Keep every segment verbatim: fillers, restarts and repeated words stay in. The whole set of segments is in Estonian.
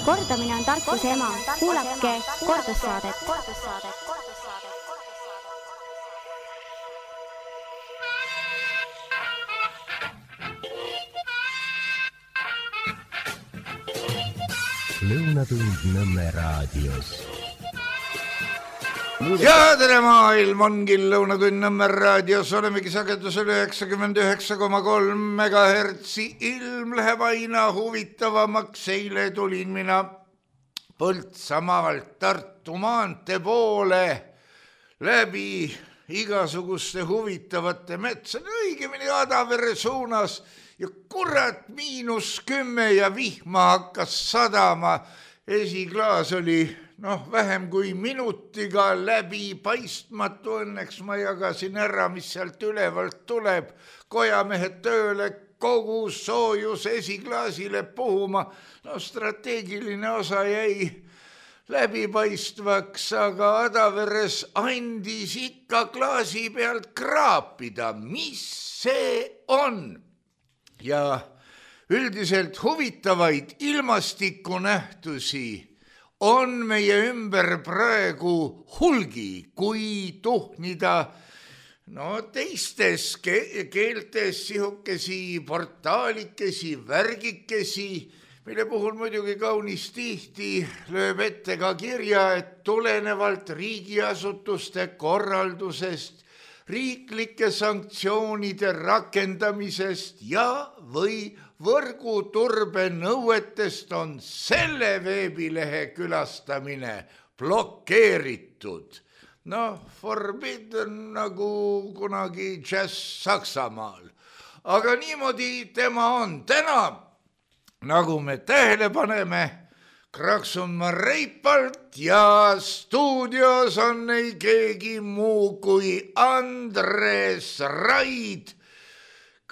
Kordamine on tarkuse ema. Kuulake kordussaadet. Lõunatund Nõmme raadios. Ja tere maailm ongi Lõunatund Nõmme raadios, olemegi sagedusel üheksakümmend üheksa koma kolm megahertsi, ilm läheb aina huvitavamaks, eile tulin mina Põltsamaalt Tartu maantee poole läbi igasuguste huvitavate metsade, õigemini Adavere suunas ja kurat miinus kümme ja vihma hakkas sadama, esiklaas oli noh, vähem kui minutiga läbi paistmatu, õnneks ma jagasin ära, mis sealt ülevalt tuleb, kojamehed tööle, kogu soojus esiklaasile puhuma, no strateegiline osa jäi läbipaistvaks, aga Adaveres andis ikka klaasi pealt kraapida, mis see on? Ja üldiselt huvitavaid ilmastikunähtusi on meie ümber praegu hulgi, kui tuhnida no teistes ke- keeltes sihukesi portaalikesi, värgikesi, mille puhul muidugi kaunis tihti lööb ette ka kirja, et tulenevalt riigiasutuste korraldusest, riiklike sanktsioonide rakendamisest ja või võrguturbe nõuetest on selle veebilehe külastamine blokeeritud. Noh, forbidden nagu kunagi jazz Saksamaal. Aga niimoodi tema on täna, nagu me tähele paneme, kraksun ma reipalt ja stuudios on ei keegi muu kui Andres Raid,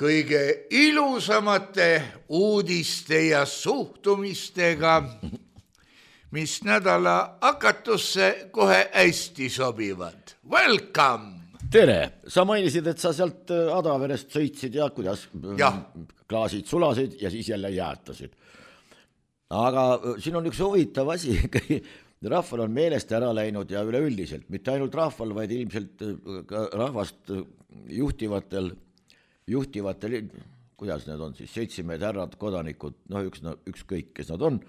kõige ilusamate uudiste ja suhtumistega, mis nädala hakatusse kohe hästi sobivad. Welcome! Tere! Sa mainisid, et sa sealt Adaverest sõitsid ja kuidas ja. klaasid sulasid ja siis jälle jäätasid. Aga siin on üks huvitav asi. Rahval on meelest ära läinud ja üleüldiselt, mitte ainult rahval, vaid ilmselt rahvast juhtivatel juhtivatel, kuidas need on siis, seitsmeed härrad, kodanikud, noh üks, no, ükskõik, kes nad on,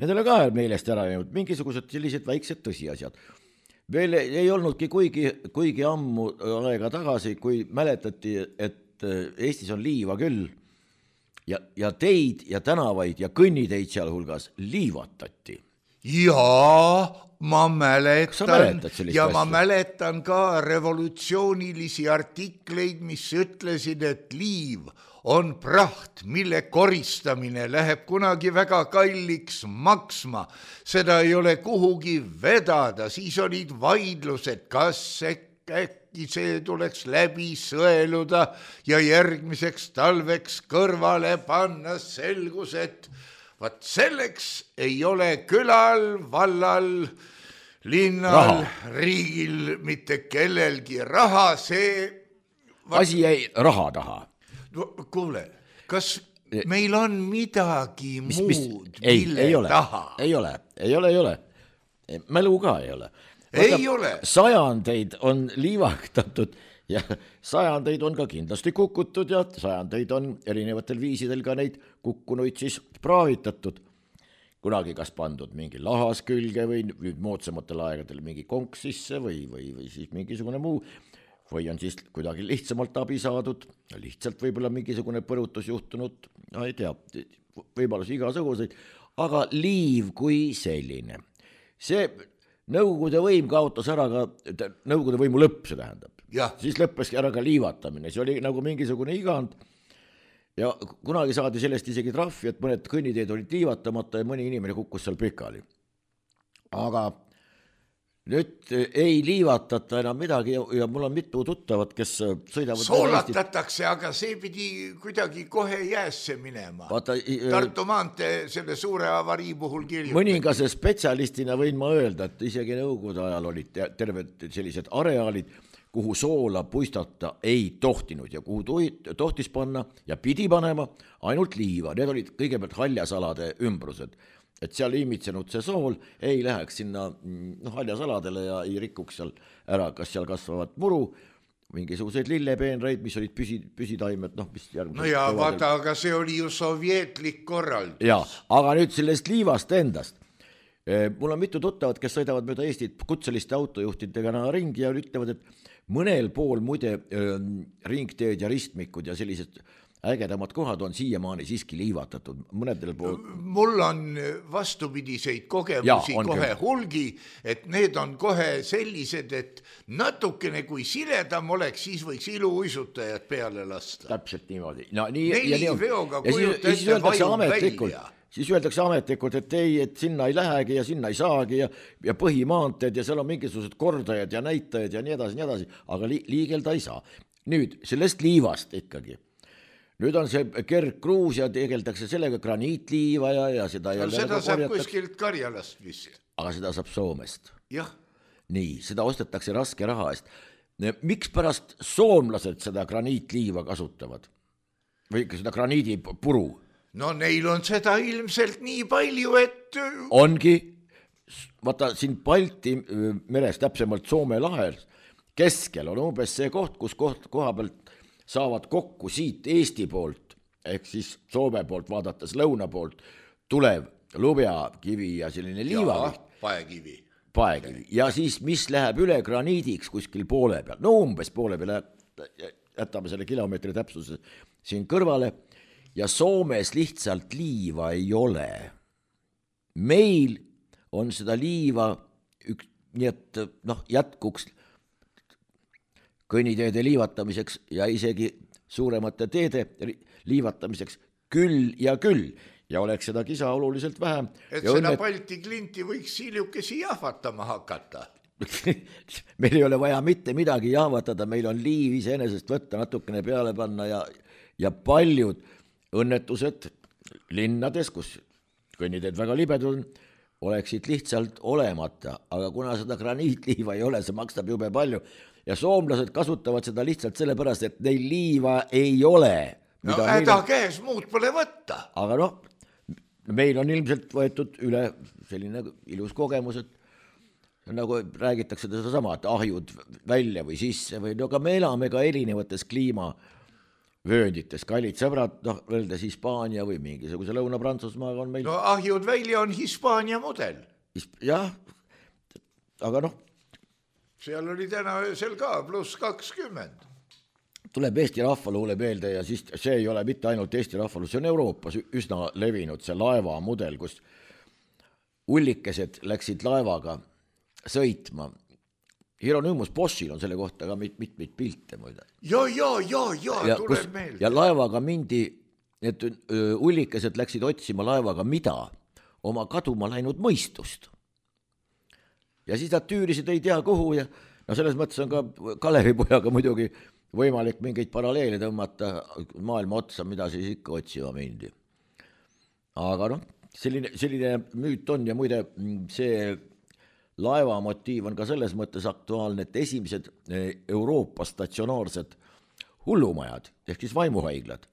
nendele ka meelest ära jäänud mingisugused sellised väiksed tõsiasjad. Veel ei olnudki kuigi, kuigi ammu aega tagasi, kui mäletati, et Eestis on liiva küll ja, ja teid ja tänavaid ja kõnniteid seal hulgas liivatati. Jaa, ma mäletan ja ma asja? mäletan ka revolutsioonilisi artikleid, mis ütlesid, et liiv on praht, mille koristamine läheb kunagi väga kalliks maksma. Seda ei ole kuhugi vedada, siis olid vaidlused, kas äkki see tuleks läbi sõeluda ja järgmiseks talveks kõrvale panna, selgus, et vaat selleks ei ole külal, vallal, linnal, raha. Riigil mitte kellelgi raha, see vaat... asi jäi raha taha. No, kuule, kas meil on midagi mis, muud, mis... Ei, mille ei ole, taha? Ei ole, ei ole, ei ole. Mälu ka ei ole. Ei Vaata, ole. Sajandeid on liivaktatud ja sajandeid on ka kindlasti kukutud ja sajandeid on erinevatel viisidel ka neid kukkunuid siis praavitatud. Kunagi kas pandud mingi lahas külge või nüüd moodsamatel aegadel mingi konks sisse või, või, või siis mingisugune muu. Või on siis kuidagi lihtsamalt abi saadud, lihtsalt võib-olla mingisugune põrutus juhtunud, no ei tea, võimalus igasuguseid, aga liiv kui selline. See Nõukogude võim kaotas ära ka, Nõukogude võimu lõpp see tähendab. Ja. Siis lõppeski ära ka liivatamine, see oli nagu mingisugune igand ja kunagi saadi sellest isegi trahvi, et mõned kõnniteed olid liivatamata ja mõni inimene kukkus seal pikali. Aga nüüd ei liivatata enam midagi ja mul on mitu tuttavat, kes sõidavad... Soolatatakse, aga see pidi kuidagi kohe jäässe minema. Vaata, Tartu maantee selle suure avarii puhul kirjutati. Mõningase spetsialistina võin ma öelda, et isegi Nõukogude ajal olid terved sellised areaalid, kuhu soola puistata ei tohtinud ja kuhu tohtis panna ja pidi panema ainult liiva. Need olid kõigepealt haljasalade ümbrused. et seal imitsenud see sool ei läheks sinna noh, haljasaladele ja ei rikuks seal ära, kas seal kasvavad muru, mingisuguseid lillepeenreid, mis olid püsi, püsitaimed, noh, mis järgmised... No ja vaata, aga see oli ju sovjetlik korraldus. Ja, aga nüüd sellest liivast endast. Mul on mitu tuttavad, kes sõidavad mööda Eestit kutseliste autojuhtidega ringi ja ütlevad, et mõnel pool muide ringteed ja ristmikud ja sellised ägedamad kohad on siiamaani siiski liivatatud. Mõnedel pool... Mul on vastupidiseid kogemusi ja, kohe küll. Hulgi, et need on kohe sellised, et natukene kui siledam oleks, siis võiks iluuisutajad peale lasta. Täpselt niimoodi. No, nii, Neli ja veoga kujuta ette vajum välja. Siis öeldakse ametlikult, et ei, et sinna ei lähegi ja sinna ei saagi ja, ja põhimaanteed ja seal on mingisugused kordajad ja näitajad ja nii edasi, nii edasi, aga li, liigelda ei saa. Nüüd sellest liivast ikkagi. Nüüd on see kergkruus ja tegeldakse sellega graniitliiva ja, ja seda no, seda saab kuskilt Karjalast vist. Aga seda saab Soomest. Jah. Nii, seda ostetakse raske raha eest. Miks pärast soomlased seda graniitliiva kasutavad? Või seda graniidipuru? No neil on seda ilmselt nii palju, et... Ongi, vaata siin Balti meres, täpsemalt Soome lahel, keskel on umbes see koht, kus koht, koha pealt saavad kokku siit Eesti poolt, ehk siis Soome poolt vaadates lõuna poolt, tulev lubjakivi ja selline liivaviht. Paekivi. Paekivi. Ja siis, mis läheb üle graniidiks kuskil poole peal, no umbes poole peal, jätame selle kilomeetri täpsuse siin kõrvale, ja Soomes lihtsalt liiva ei ole. Meil on seda liiva, üks, nii et noh, jätkuks kõnniteede liivatamiseks ja isegi suuremate teede liivatamiseks küll ja küll. Ja oleks seda kisa oluliselt vähem. Et ja seda õnnet... Balti klinti võiks hiljukesi jahvatama hakata. Meil ei ole vaja mitte midagi jahvatada, meil on liiv iseenesest võtta natukene peale panna ja, ja paljud õnnetused linnades, kus kõnniteed väga libedud on, oleksid lihtsalt olemata, aga kuna seda graniitliiva ei ole, see makstab jube palju ja soomlased kasutavad seda lihtsalt sellepärast, et neil liiva ei ole. No häda on... käes, muud pole võtta. Aga noh, meil on ilmselt võetud üle selline ilus kogemus, et nagu räägitakse seda sama, et ahjud välja või sisse või no, aga me elame ka erinevates kliimavööndites, kallid sõbrad, noh, öeldes Hispaania või mingisuguse Lõuna-Prantsusmaaga on meil... No ahjud välja on Hispaania mudel. Jah, aga noh, seal oli täna öösel ka pluss kakskümmend. Tuleb Eesti rahvaluule meelde ja siis see ei ole mitte ainult Eesti rahvaluule, see on Euroopas üsna levinud see laeva mudel, kus ullikesed läksid laevaga sõitma. Hieronymus Boschil on selle kohta ka mit, mit, mit pilte muide. Ja, ja, ja, ja, ja tuleb kus, meelde. Ja laevaga mindi, et ullikesed läksid otsima laevaga mida? Oma kaduma läinud mõistust. Ja siis nad tüürisid ei tea kuhu ja no selles mõttes on ka Kaleripojaga muidugi võimalik mingeid paralleele tõmmata maailma otsa, mida siis ikka otsima mindi. Aga noh, selline, selline müüt on ja muide see laeva motiiv on ka selles mõttes aktuaalne, et esimesed Euroopa statsionaarsed hullumajad, ehk siis vaimuhaiglad,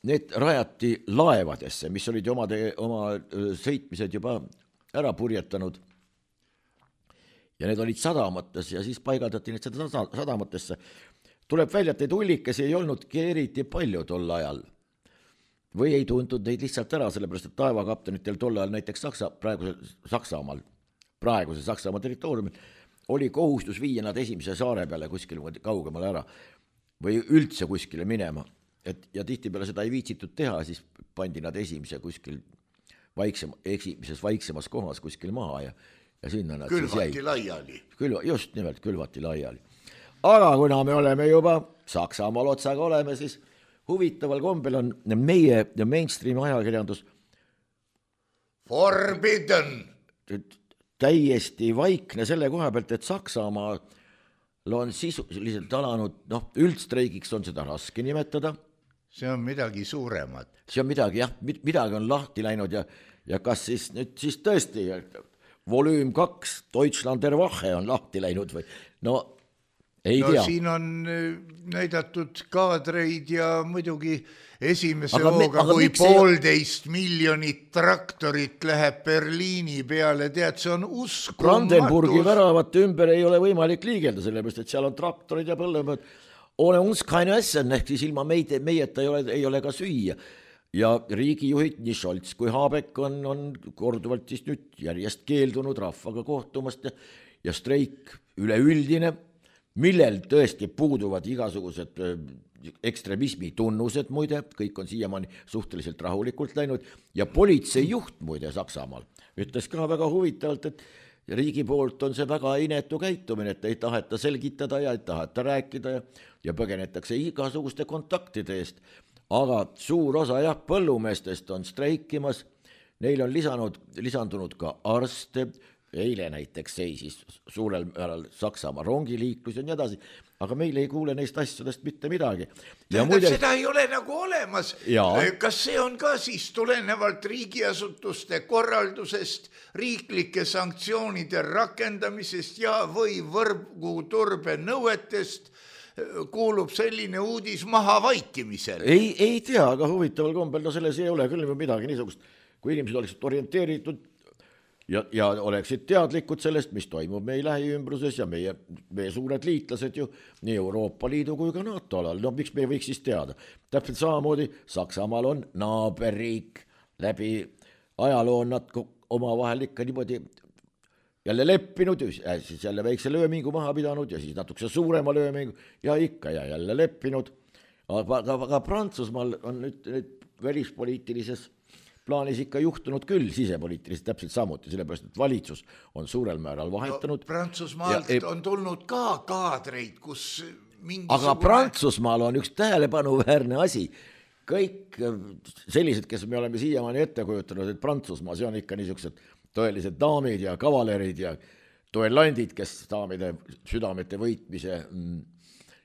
need rajati laevadesse, mis olid oma, te, oma sõitmised juba ära purjetanud. Ja need olid sadamates ja siis paigaldati need seda sadamatesse. Tuleb välja, et neid ullikesi ei olnud eriti palju tol ajal. Või ei tuntud neid lihtsalt ära, sellepärast et taevakaptenitel tol ajal näiteks Saksa, praeguse Saksamaal, praeguse Saksamaa territooriumil oli kohustus viia nad esimese saare peale kuskil kaugemale ära või üldse kuskile minema. Et, ja tihti peale seda ei viitsitud teha, siis pandi nad esimese kuskil vaiksema, esimeses vaiksemas kohas kuskil maha ja ja sinna nad külvati siis jäi. Laiali. Külva, just nimelt külvati laiali. Aga kuna me oleme juba Saksamaal otsaga oleme, siis huvitaval kombel on meie mainstream ajakirjandus Forbidden. Täiesti vaikne selle koha pealt, et Saksamaal on sisuliselt alanud, noh, üldstreigiks on seda raske nimetada. See on midagi suuremat. See on midagi, jah, midagi on lahti läinud ja, ja kas siis nüüd siis tõesti volüüm kaks Deutschlander Wache on lahti läinud või no Ei no tea. siin on näidatud kaadreid ja muidugi esimese Aga me- hooga, aga kui miks ei- poolteist miljonit traktorit läheb Berliini peale, tead, see on Brandenburgi uskumatu. väravate ümber ei ole võimalik liigelda, sellepärast et seal on traktorid ja põllemehed. Ole uns keine essen, ehk siis ilma meid, meieta ei ole, ei ole ka süüa. Ja riigijuhid nii Scholz kui Habeck on, on korduvalt siis nüüd järjest keeldunud rahvaga kohtumast ja, ja streik üleüldine, millel tõesti puuduvad igasugused ekstremismi tunnused, muide, kõik on siiamaani suhteliselt rahulikult läinud ja politseijuht muide Saksamaal ütles ka väga huvitavalt, et riigi poolt on see väga inetu käitumine, et ei taheta selgitada ja ei taheta rääkida ja, ja põgenetakse igasuguste kontaktide eest. Aga suur osa jah, põllumeestest on streikimas, neil on lisanud, lisandunud ka arste, eile näiteks seisis suurel määral Saksamaa rongiliiklus ja nii edasi, aga meil ei kuule neist asjadest mitte midagi. Ja Tähendab, muide... seda ei ole nagu olemas. Ja. Kas see on ka siis tulenevalt riigiasutuste korraldusest, riiklike sanktsioonide rakendamisest ja või võrguturbe nõuetest kuulub selline uudis maha vaikimisel? Ei, ei tea, aga huvitaval kombel, no selles ei ole küll midagi niisugust, kui inimesed oleksid orienteeritud ja, ja oleksid teadlikud sellest, mis toimub meie lähiümbruses ja meie, meie suured liitlased ju nii Euroopa Liidu kui ka NATO alal, no miks me ei võiks siis teada. Täpselt samamoodi Saksamaal on naaberriik, läbi ajaloo on nad omavahel ikka niimoodi jälle leppinud, siis jälle väikse löömingu maha pidanud ja siis natukese suurema löömingu ja ikka ja jälle leppinud. Aga, aga Prantsusmaal on nüüd, nüüd välispoliitilises plaanis ikka juhtunud küll sisepoliitiliselt täpselt samuti, sellepärast, et valitsus on suurel määral vahetanud. No, Prantsusmaalt ja, on tulnud ka kaadreid, kus mingisugune... Aga Prantsusmaal on üks tähelepanuväärne asi. Kõik sellised, kes me oleme siiamaani ette kujutanud, et Prantsusmaa, see on ikka niisugused tõelised daamid ja kavalerid ja duellandid, kes daamide südamete võitmise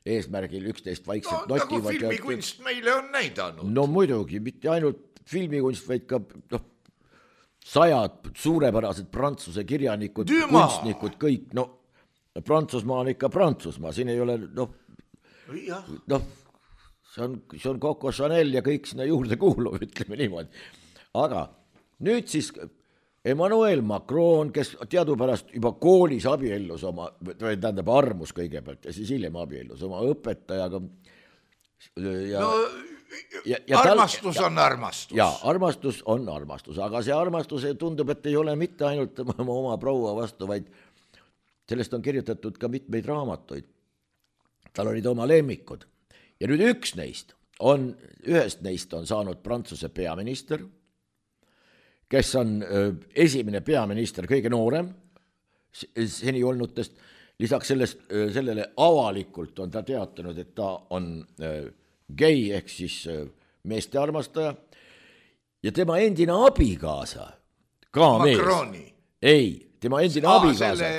eesmärgil üksteist vaikselt no, notivad. Nagu filmikunst ja... meile on näidanud. No muidugi, mitte ainult filmikunst, vaid ka no, sajad suurepärased prantsuse kirjanikud, Düma. Kunstnikud, kõik, no Prantsusmaa on ikka Prantsusmaa, siin ei ole, noh, noh, see on, see on Coco Chanel ja kõik sinna juurde kuulub, ütleme niimoodi. Aga nüüd siis Emmanuel Macron, kes teadupärast juba koolis abiellus oma, tähendab armus kõigepealt ja siis hiljem abiellus oma õpetajaga. Ja, no ja, ja armastus tal, on armastus. Ja armastus on armastus, aga see armastus tundub, et ei ole mitte ainult oma, oma proua vastu, vaid sellest on kirjutatud ka mitmeid raamatuid. Tal olid oma lemmikud. Ja nüüd üks neist on, ühest neist on saanud Prantsuse peaminister, kes on esimene peaminister, kõige noorem seni olnutest. Lisaks sellest, sellele avalikult on ta teatanud, et ta on gei ehk siis meeste armastaja ja tema endine abikaasa, ka Macroni. Mees. Ei, tema endine Aa, abikaasa.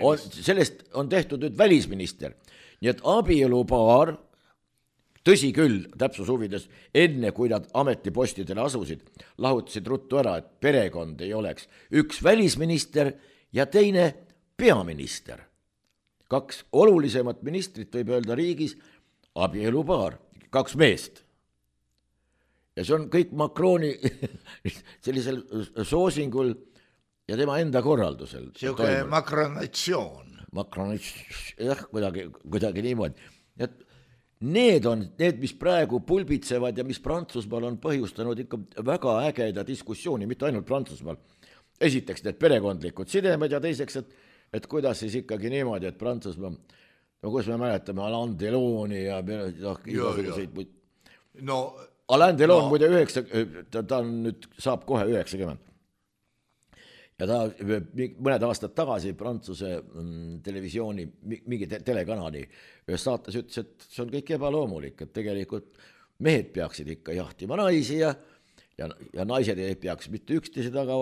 On, sellest on tehtud nüüd välisminister. Nii et abielupaar, tõsi küll, täpsus huvides, enne kui nad ametipostidele asusid, lahutasid ruttu ära, et perekond ei oleks üks välisminister ja teine peaminister. Kaks olulisemat ministrit võib öelda riigis, abielupaar, kaks meest. Ja see on kõik Macroni sellisel soosingul ja tema enda korraldusel. Siuke makronatsioon. Makronatsioon, jah, kuidagi, kuidagi niimoodi. Et need on need, mis praegu pulbitsevad ja mis Prantsusmaal on põhjustanud ikka väga ägeda diskussiooni, mitte ainult Prantsusmaal. Esiteks need perekondlikud sidemed ja teiseks, et, et kuidas siis ikkagi niimoodi, et Prantsusmaa, no kus me mäletame Alain Deloni ja no, igasuguseid muid. No, Alain Delon no. muide üheksa, ta, ta on nüüd saab kohe üheksakümmend. Ja ta mõned aastad tagasi Prantsuse mm, televisiooni, mingi te- telekanali ühes saates ütles, et see on kõik ebaloomulik, et tegelikult mehed peaksid ikka jahtima naisi ja, ja, ja naised ei peaks mitte üksteise taga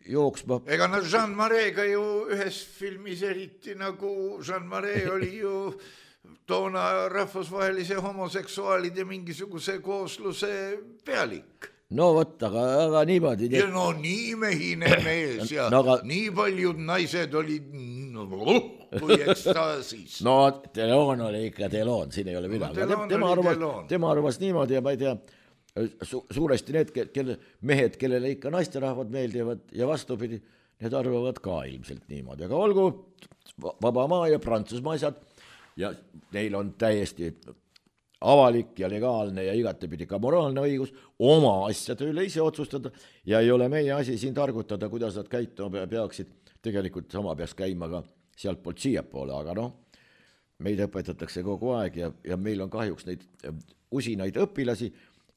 jooksma. Ega no Jean Maréga ju ühes filmis eriti nagu Jean Maré oli ju toona rahvusvahelise homoseksuaalide mingisuguse koosluse pealik. no vot, aga, aga niimoodi. Ja no nii mehine mees ja no, aga... nii paljud naised olid no, kui ekstaasis. No Delon oli ikka Delon, siin ei ole midagi. No, tema, arvas, tema arvas niimoodi ja ma ei tea, su, suuresti need kelle, mehed, kellele ikka naisterahvad meeldivad ja vastupidi, need arvavad ka ilmselt niimoodi. Aga olgu vaba maa ja Prantsusmaa asjad ja neil on täiesti avalik ja legaalne ja igatepidi ka moraalne õigus oma asjade üle ise otsustada ja ei ole meie asi siin targutada, kuidas nad käituma peaksid. Tegelikult sama peaks käima ka sealt poolt siia poole, aga noh, meid õpetatakse kogu aeg ja, ja meil on kahjuks neid usinaid õpilasi,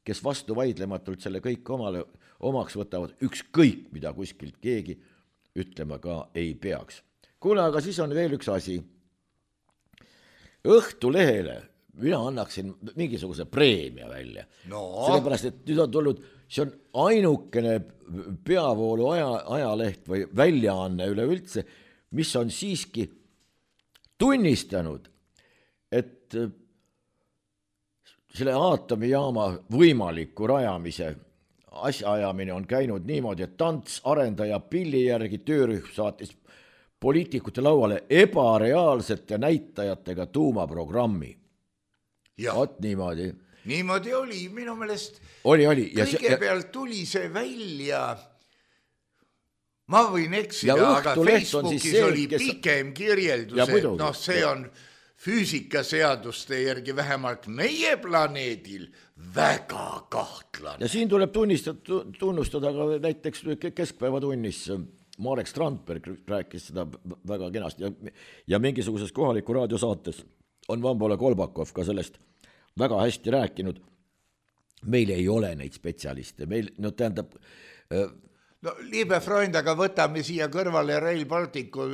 kes vastu vaidlematult selle kõik omale, omaks võtavad, ükskõik mida kuskilt keegi ütlema ka ei peaks. Kuule, aga siis on veel üks asi. Õhtulehele mina annaksin mingisuguse preemia välja. No. Sellepärast, et nüüd on tulnud, see on ainukene peavoolu aja, ajaleht või väljaanne üleüldse, mis on siiski tunnistanud, et selle aatomijaama võimaliku rajamise asjaajamine on käinud niimoodi, et Tants arendaja pilli järgi töörühm saatis poliitikute lauale ebareaalsete näitajatega tuumaprogrammi. Oot niimoodi. Niimoodi oli, minu meelest oli, oli. kõigepealt tuli see välja, ma võin eksida, aga Facebookis see, oli kes... pikem kirjeldus, et noh, see on füüsikaseaduste järgi vähemalt meie planeedil väga kahtlane. Ja siin tuleb tunnistada, tunnustada ka näiteks keskpäevatunnis Marek Strandberg rääkis seda väga kenasti ja, ja mingisuguses kohaliku raadiosaates on Vambole Kolbakov ka sellest väga hästi rääkinud. Meil ei ole neid spetsialiste, meil, no tähendab... No liibe Freund, aga võtame siia kõrvale Rail Balticu.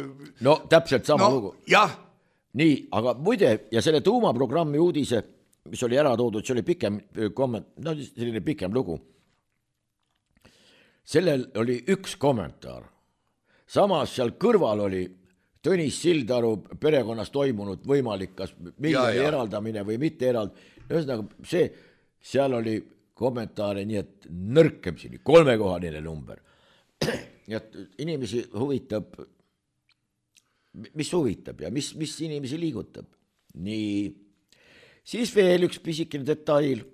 No täpselt sama no, lugu. Jah. Nii, aga muide, ja selle tuumaprogrammi uudise, mis oli ära toodud, see oli pikem komment, no selline pikem lugu. Sellel oli üks kommentaar. Samas seal kõrval oli Tõnis Sildaru perekonnas toimunud võimalik kas miljoni eraldamine või mitte eraldamine. Ühesõnaga, see, seal oli kommentaare nii, et nõrkemsini, kolmekohanine number. Nii et inimesi huvitab, mis huvitab ja mis, mis inimesi liigutab. Nii, siis veel üks pisikene detail.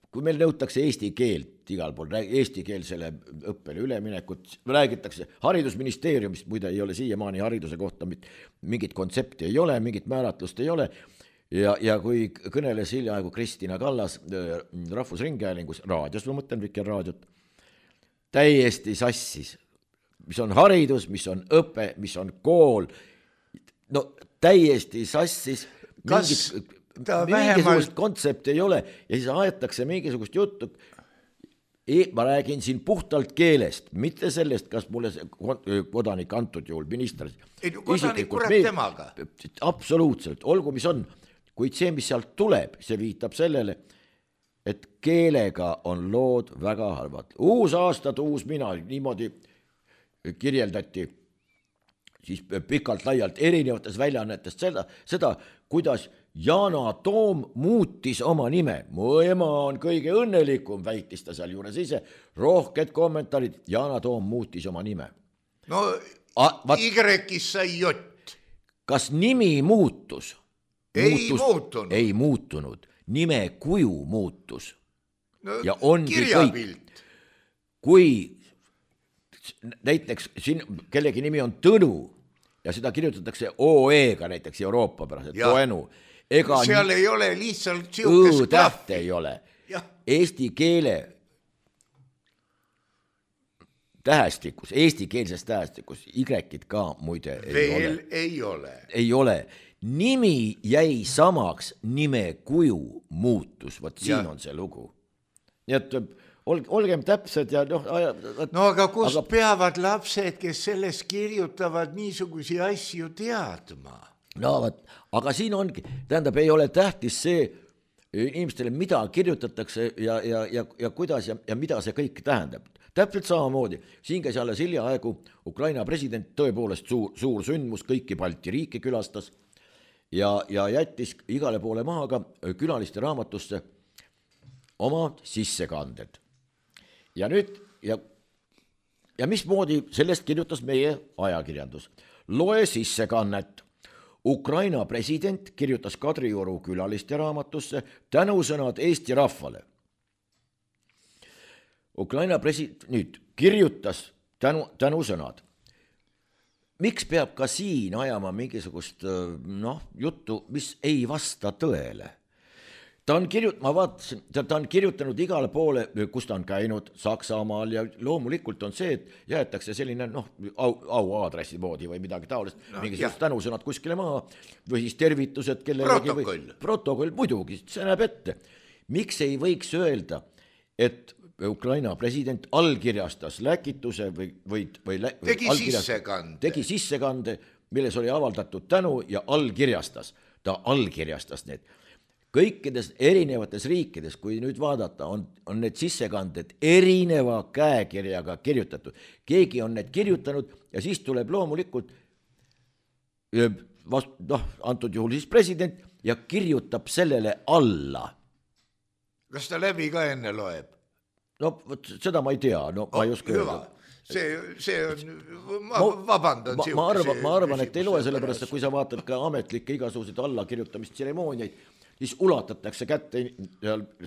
Kui meil nõutakse eesti keelt, igal pool eestikeelsele õppele üleminekut, räägitakse haridusministeeriumist, muide ei ole siiamaani hariduse kohta mingit kontsepti ei ole, mingit määratlust ei ole ja, ja kui kõneles hiljaaegu Kristina Kallas Rahvusringhäälingus, raadios, ma mõtlen Vikerraadiot, täiesti sassis, mis on haridus, mis on õpe, mis on kool, no täiesti sassis kas mingit, mingisugust vähemalt... kontsepti ei ole ja siis aetakse mingisugust juttu. Ma räägin siin puhtalt keelest, mitte sellest, kas mulle kodanik antud juhul, minister. Ei, kodanik kurat temaga. Absoluutselt, olgu mis on, kuid see, mis sealt tuleb, see viitab sellele, et keelega on lood väga halvad. Uus aastad, uus mina, niimoodi kirjeldati siis pikalt laialt erinevates väljaannetest seda, seda, kuidas Yana Toom muutis oma nime. Mu ema on kõige õnnelikum, väitis ta seal juures ise. Rohked kommentaarid, Yana Toom muutis oma nime. No A, vat, Y-is sai jott. Kas nimi muutus? Ei muutus, muutunud. Ei muutunud. Nime kuju muutus. No, ja ongi kirjapilt. Kõik. Kui näiteks siin kellegi nimi on Tõnu ja seda kirjutatakse O E-ga näiteks Euroopa pärast, et Toenu. Ega seal ei ole lihtsalt siukest klahvi. Ei ole. Ja. Eesti keele tähestikus, eestikeelses tähestikus, Y-id ka muide ei veel ole. ei ole. Ei ole. Nimi jäi samaks, nime kuju muutus, vot siin ja. On see lugu. Nii et olgem täpsed ja noh... No aga kust aga... peavad lapsed, kes selles kirjutavad niisugusi asju teadma? No vaat, aga siin ongi, tähendab, ei ole tähtis see inimestele, mida kirjutatakse ja, ja, ja, ja kuidas ja, ja mida see kõik tähendab. Täpselt samamoodi, siin käis alles hiljaaegu Ukraina president tõepoolest suur, suur sündmus, kõiki Balti riiki külastas ja, ja jättis igale poole maha ka külaliste raamatusse oma sissekanded. Ja nüüd, ja, ja mismoodi sellest kirjutas meie ajakirjandus. Loe sissekannet. Ukraina president kirjutas Kadrioru külaliste raamatusse tänusõnad Eesti rahvale. Ukraina president nüüd kirjutas tänu, tänusõnad. Miks peab ka siin ajama mingisugust noh, juttu, mis ei vasta tõele? Ta on, kirjut, ma vaatasin, ta, ta on kirjutanud igale poole, kus ta on käinud Saksamaal ja loomulikult on see, et jäetakse selline noh, au, au aadressi moodi või midagi taolist, no, mingisugust tänusõnad kuskile maha või siis tervitused kellelegi. Protokoll. Või, protokoll, muidugi, see näeb ette. Miks ei võiks öelda, et Ukraina president allkirjastas läkituse või, või, või tegi sissekande. Tegi sissekande, milles oli avaldatud tänu ja allkirjastas. Ta allkirjastas need. Kõikides erinevates riikides, kui nüüd vaadata, on, on need sissekanded erineva käekirjaga kirjutatud. Keegi on need kirjutanud ja siis tuleb loomulikult vast, noh, antud juhul siis president ja kirjutab sellele alla. Kas ta läbi ka enne loeb? No võt, seda ma ei tea, no ma ei oska öelda. See, see on, ma, ma vabandan. Ma, ma, arvan, ma arvan, et ei loe sellepärast, et kui sa vaatad ka ametlikke igasuguseid allakirjutamist tseremooniaid, siis ulatatakse kätte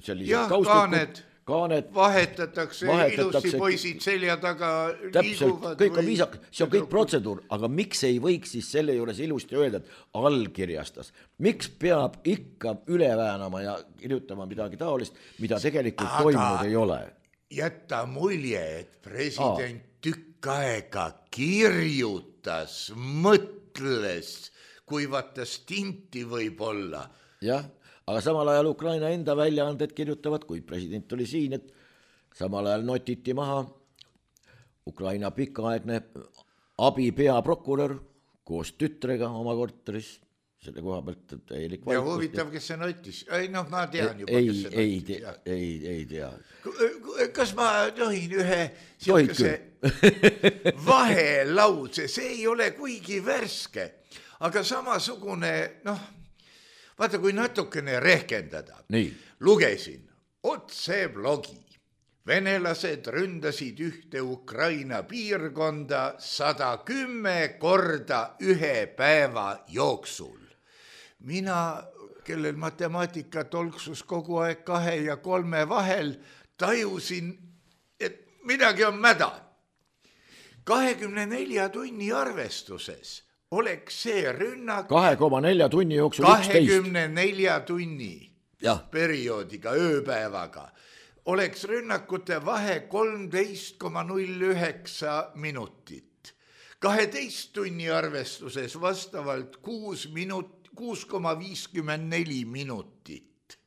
sellised jah, kaaned, kaaned, vahetatakse, vahetatakse, ilusti poisid selja taga liiguvad. Kõik on viisak, see on kõik protseduur, aga miks ei võiks siis selle juures ilusti öelda, et allkirjastas? Miks peab ikka üle väänama ja kirjutama midagi taolist, mida tegelikult aga toimunud ei ole? Jätta mulje, et president Aa. tükk aega kirjutas, mõtles, kui vaata stinti võib olla. Jah. Aga samal ajal Ukraina enda väljaanded kirjutavad, kui president oli siin, et samal ajal notiti maha Ukraina pikaaegne abipeaprokurör koos tütrega oma korteris, selle koha pealt täielik vaikus. Ja huvitav, kes see notis? Ei, noh, ma tean juba, ei, kes see ei, notis. Tea, ei, ei tea. Kas ma tohin ühe siukese vahelause, see ei ole kuigi värske, aga samasugune, noh, vaata, kui natukene rehkendada. Nii. Lugesin otse blogi. Venelased ründasid ühte Ukraina piirkonda sada kümme korda ühe päeva jooksul. Mina, kellel matemaatika tolksus kogu aeg kahe ja kolme vahel, tajusin, et midagi on mäda. kahekümne nelja tunni arvestuses oleks see rünnak kahe koma nelja tunni jooksul kahekümne nelja tunni ja. perioodiga, ööpäevaga, oleks rünnakute vahe kolmteist koma null üheksa minutit. kaheteist tunni arvestuses vastavalt kuus minut, kuus koma viiskümmend neli minutit.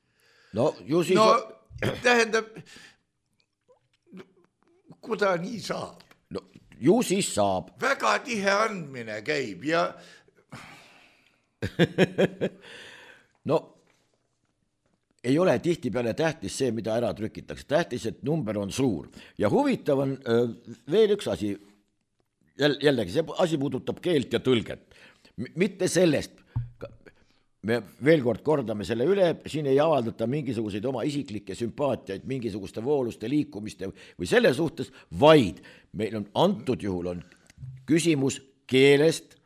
No ju siis... No tähendab, kuda nii saab? No ju siis saab. Väga tihe andmine käib ja... No ei ole tihtipeale tähtis see, mida ära trükitakse. Tähtis, et number on suur. Ja huvitav on öö, veel üks asi. Jällegi, see asi puudutab keelt ja tõlget. M- mitte sellest. Me veel kord kordame selle üle, siin ei avaldata mingisuguseid oma isiklikke sümpaatiaid, mingisuguste vooluste liikumiste või selle suhtes, vaid meil on antud juhul on küsimus keelest,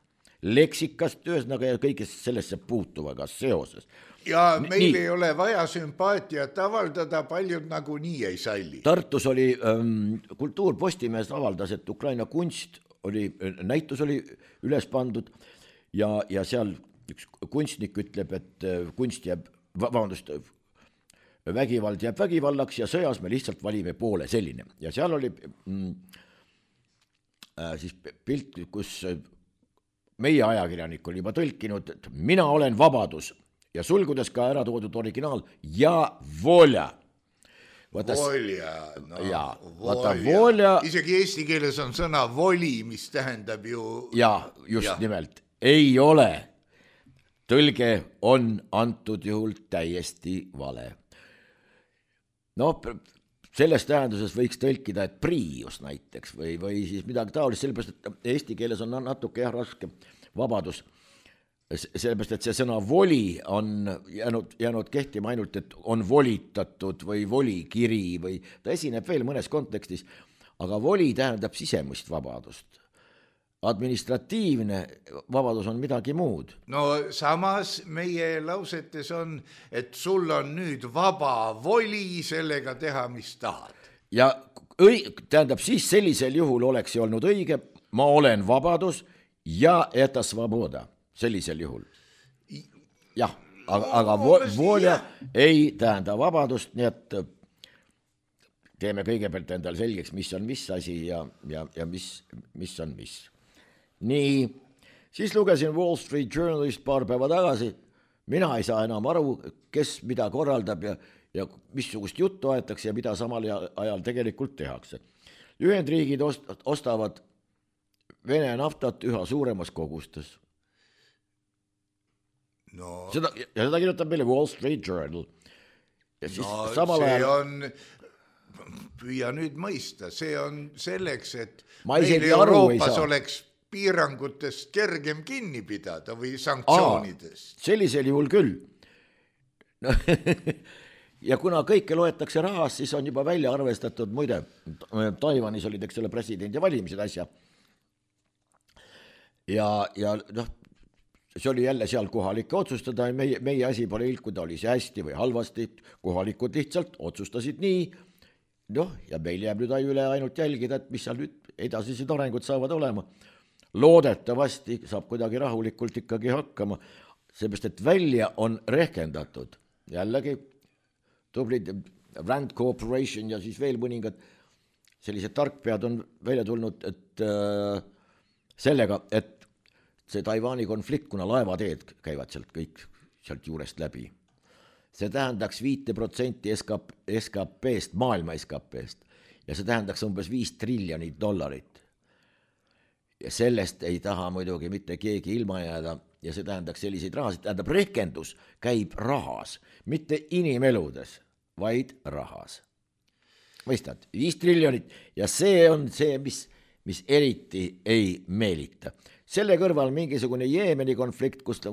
leksikast, ühesõnaga ja kõigest sellesse puutuvaga seoses. Ja meil nii. Ei ole vaja sümpaatiat avaldada, paljud nagu nii ei salli. Tartus oli ähm, Kultuurpostimees avaldas, et Ukraina kunst oli, näitus oli üles pandud ja, ja seal üks kunstnik ütleb, et kunst jääb, vabandust, vägivald jääb vägivallaks ja sõjas me lihtsalt valime poole selline. Ja seal oli mm, äh, siis pilt, kus meie ajakirjanik oli juba tõlkinud, et mina olen vabadus ja sulgudes ka ära toodud originaal ja volja. Vaata, volja, no, ja, volja. volja. Isegi eesti keeles on sõna voli, mis tähendab ju... Ja, just ja. Nimelt, ei ole. Tõlge on antud juhul täiesti vale. No, selles tähenduses võiks tõlkida, et priius näiteks või, või siis midagi taolist, sellepärast, et eesti keeles on natuke jah raske vabadus sellepärast, et see sõna voli on jäänud, jäänud kehtima ainult, et on volitatud või volikiri või ta esineb veel mõnes kontekstis, aga voli tähendab sisemist vabadust. Administratiivne vabadus on midagi muud. No samas meie lausetes on, et sul on nüüd vaba voli sellega teha, mis tahad. Ja õi, tähendab, siis sellisel juhul oleks see olnud õige, ma olen vabadus ja eta svoboda. Sellisel juhul. Jah, aga, aga volja ei tähenda vabadust, nii et teeme kõigepealt endal selgeks, mis on mis asi ja, ja, ja mis, mis on mis. Nii, siis lugesin Wall Street Journalist paar päeva tagasi, mina ei saa enam aru, kes mida korraldab ja, ja missugust juttu aetakse ja mida samal ajal tegelikult tehakse. Ühendriigid ostavad Vene naftat üha suuremas kogustes. No. Seda, ja seda kirjutab meile Wall Street Journal. Ja siis no samal see ajal... on, püüa nüüd mõista, see on selleks, et ma meil Euroopas oleks piirangutest kergem kinni pidada või sanktsioonidest. Aa, sellisel juhul küll. No, ja kuna kõike loetakse rahas, siis on juba välja arvestatud, muide, Taiwanis olid, eks ole, presidendi valimised asja. Ja, ja noh, see oli jälle seal kohalike otsustada, meie, meie asi pole ilkuda, oli see hästi või halvasti, kohalikud lihtsalt otsustasid nii, noh, ja meil jääb nüüd üle ainult jälgida, et mis seal nüüd edasised arengud saavad olema. Loodetavasti saab kuidagi rahulikult ikkagi hakkama, seepärast, et välja on rehkendatud, jällegi tublid Rand Corporation ja siis veel mõningad sellised tarkpead on välja tulnud, et äh, sellega, et see Taiwani konflikt, kuna laevateed käivad sealt kõik sealt juurest läbi. See tähendaks viite protsenti S K P-st, maailma S K P-st ja see tähendaks umbes viis triljonit dollarit. Ja sellest ei taha muidugi mitte keegi ilma jääda ja see tähendaks selliseid rahasid, tähendab rehkendus käib rahas, mitte inimeludes, vaid rahas. Mõistad, viis triljonit ja see on see, mis, mis eriti ei meelita. Selle kõrval mingisugune Jeemeni konflikt, kus ta,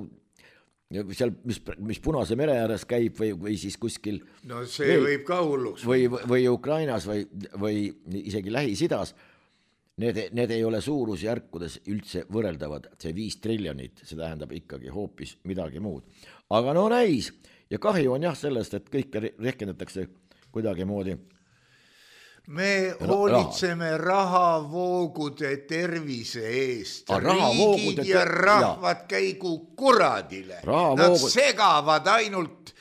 seal, mis, mis Punase mere ääres käib või, või siis kuskil no see või, võib ka hulluks või, või Ukrainas või, või isegi Lähis-Idas, need, need ei ole suurusjärkudes üldse võrreldavad, see viis triljonit, see tähendab ikkagi hoopis midagi muud. Aga no näis, ja kahju on jah sellest, et kõike rehkendatakse kuidagi moodi. Me hoolitseme rahavoogude tervise eest. A, riigid te... ja rahvad käigu kuradile. Nad segavad ainult,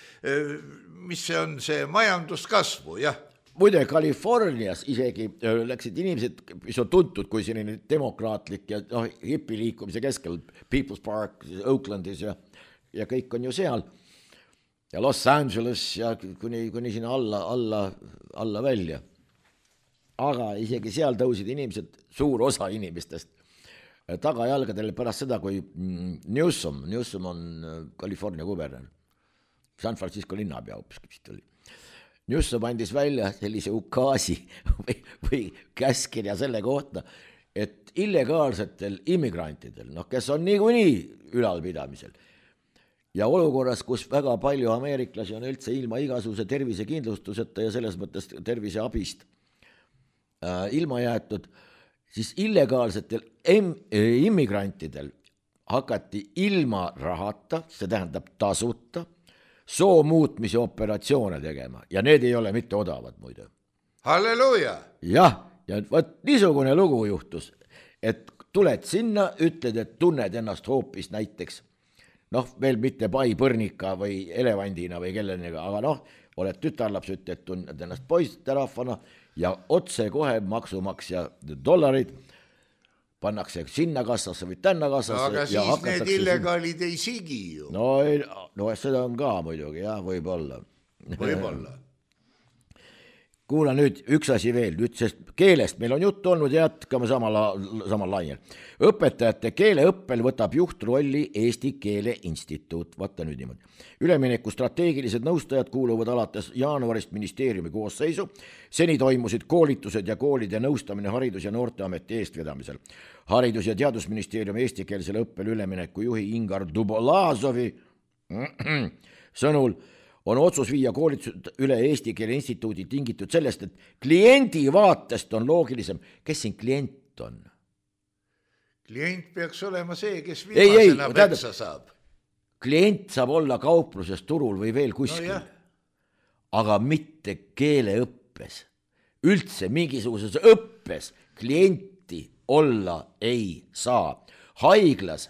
mis see on see majanduskasvu, jah. Muide, Californias isegi läksid inimesed, mis on tuntud kui selline demokraatlik ja no, hipiliikumise keskel, People's Park, Oaklandis ja, ja kõik on ju seal. Ja Los Angeles ja kuni, kuni sinna alla, alla, alla välja. Aga isegi seal tõusid inimesed, suur osa inimestest tagajalgadele pärast seda, kui Newsom, Newsom on California kuberner, San Francisco linnapea hoopis vist oli. Newsom andis välja sellise ukaasi või, või käskirja selle kohta, et illegaalsetel immigrantidel, noh, kes on niikuinii ülalpidamisel ja olukorras, kus väga palju ameeriklasi on üldse ilma igasuguse tervisekindlustuseta ja selles mõttes terviseabist ilma jäetud, siis illegaalsetel em- immigrantidel hakati ilma rahata, see tähendab tasuta, soo muutmise operatsioone tegema ja need ei ole mitte odavad muide. Halleluuja! Jah, ja võt niisugune lugu juhtus, et tuled sinna, ütled, et tunned ennast hoopis näiteks, noh, veel mitte pai põrnika või elevandina või kellenega, aga noh, oled tütarlaps, ütled, tunned ennast poisterahvana ja otse kohe maksumaksja dollarid pannakse sinna kassasse või tänna kassasse. Aga ja siis need illegaalid ei sigi ju. No, no seda on ka muidugi, jah, võib-olla. Võib-olla. kuula nüüd üks asi veel, nüüd sest keelest meil on jutt olnud ja jätkame samal, samal lainel. Õpetajate keeleõppel võtab juhtrolli Eesti Keele Instituut, vaata nüüd niimoodi. Ülemineku strateegilised nõustajad kuuluvad alates jaanuarist ministeeriumi koosseisu, seni toimusid koolitused ja koolide nõustamine Haridus- ja Noorteameti eestvedamisel. Haridus- ja Teadusministeeriumi eestikeelsele õppele ülemineku juhi Ingar Dubolazovi sõnul on otsus viia koolitused üle Eesti Keele Instituudi tingitud sellest, et kliendi vaatest on loogilisem. Kes siin klient on? Klient peaks olema see, kes viimasena peksa saab. Klient saab olla kaupluses, turul või veel kuskil, no aga mitte keeleõppes. Üldse mingisuguses õppes klienti olla ei saa. Haiglas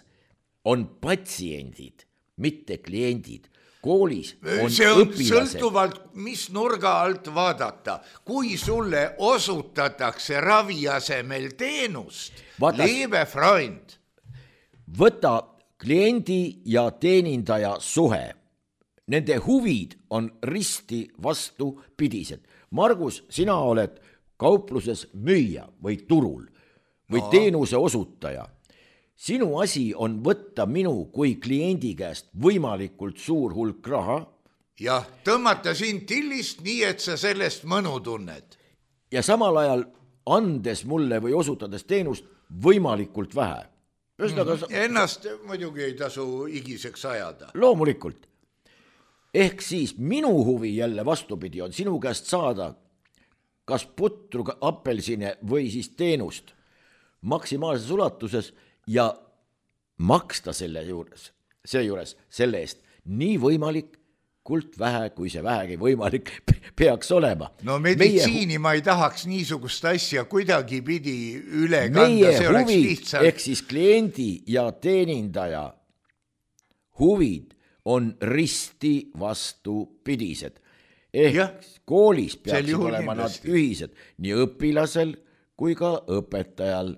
on patsiendid, mitte kliendid. Koolis on see on õpilased. Sõltuvalt, mis nurga alt vaadata. Kui sulle osutatakse ravi asemel teenust, Vaata, leebe freund. Võta kliendi ja teenindaja suhe. Nende huvid on risti vastupidised. Margus, sina oled kaupluses müüja või turul või no. teenuse osutaja. Sinu asi on võtta minu kui kliendi käest võimalikult suur hulk raha. Ja tõmmata sind tillist nii, et sa sellest mõnu tunned. Ja samal ajal andes mulle või osutades teenust võimalikult vähe. Mm-hmm. Ennast muidugi ei tasu igiseks ajada. Loomulikult. Ehk siis minu huvi jälle vastupidi on sinu käest saada kas putru, apelsine või siis teenust maksimaalses ulatuses ja maksta selle juures, seejuures selle eest nii võimalikult vähe, kui see vähegi võimalik peaks olema. No meditsiini meie, ma ei tahaks niisugust asja kuidagi pidi üle kanda, see oleks huvid, lihtsalt. Ehk siis kliendi ja teenindaja huvid on risti vastupidised. Ehk ja, koolis peaksid olema nad ühised nii õpilasel kui ka õpetajal.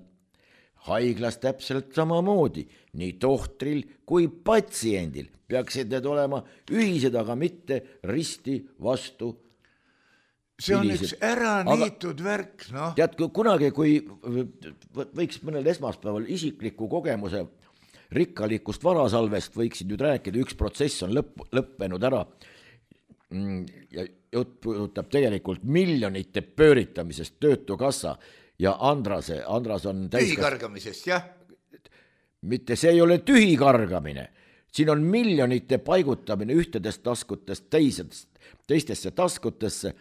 Haiglas täpselt samamoodi, nii tohtril kui patsiendil peaksid need olema ühised, aga mitte risti vastu. See on üks ära niitud värk, noh. Tead, kunagi, kui võiks mõnel esmaspäeval isikliku kogemuse rikkalikust varasalvest võiksid nüüd rääkida, üks protsess on lõpp, lõppenud ära ja jutt puudutab tegelikult miljonite pööritamisest töötukassa ja Andrase, Andras on täiskast... tühikargamisest, jah? Mitte see ei ole tühikargamine. Siin on miljonite paigutamine ühtedest taskutest teisest, teistesse taskutesse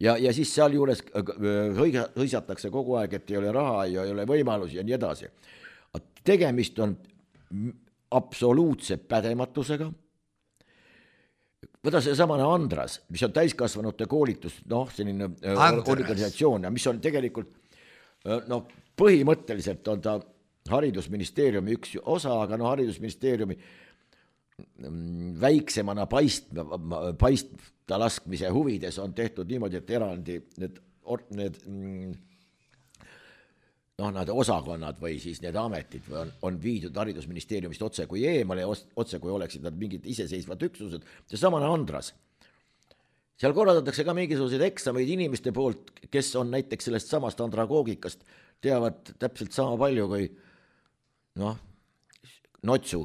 ja, ja siis seal juures hõisatakse kogu aeg, et ei ole raha ja ei ole võimalusi ja nii edasi. Tegemist on absoluutse pädematusega. Võta see samane Andras, mis on täiskasvanute koolitus, noh, selline Andras. Organisatsioon ja mis on tegelikult no põhimõtteliselt on ta haridusministeeriumi üks osa, aga no haridusministeeriumi väiksemana paist, paista laskmise huvides on tehtud niimoodi, et eraldi need, need noh, nad osakonnad või siis need ametid on, on viidud haridusministeeriumist otse kui eemale, otse kui oleksid nad mingid iseseisvad üksused. See samane Andras. Seal korraldatakse ka mingisuguseid eksameid inimeste poolt, kes on näiteks sellest samast andragoogikast, teavad täpselt sama palju kui noh, Notsu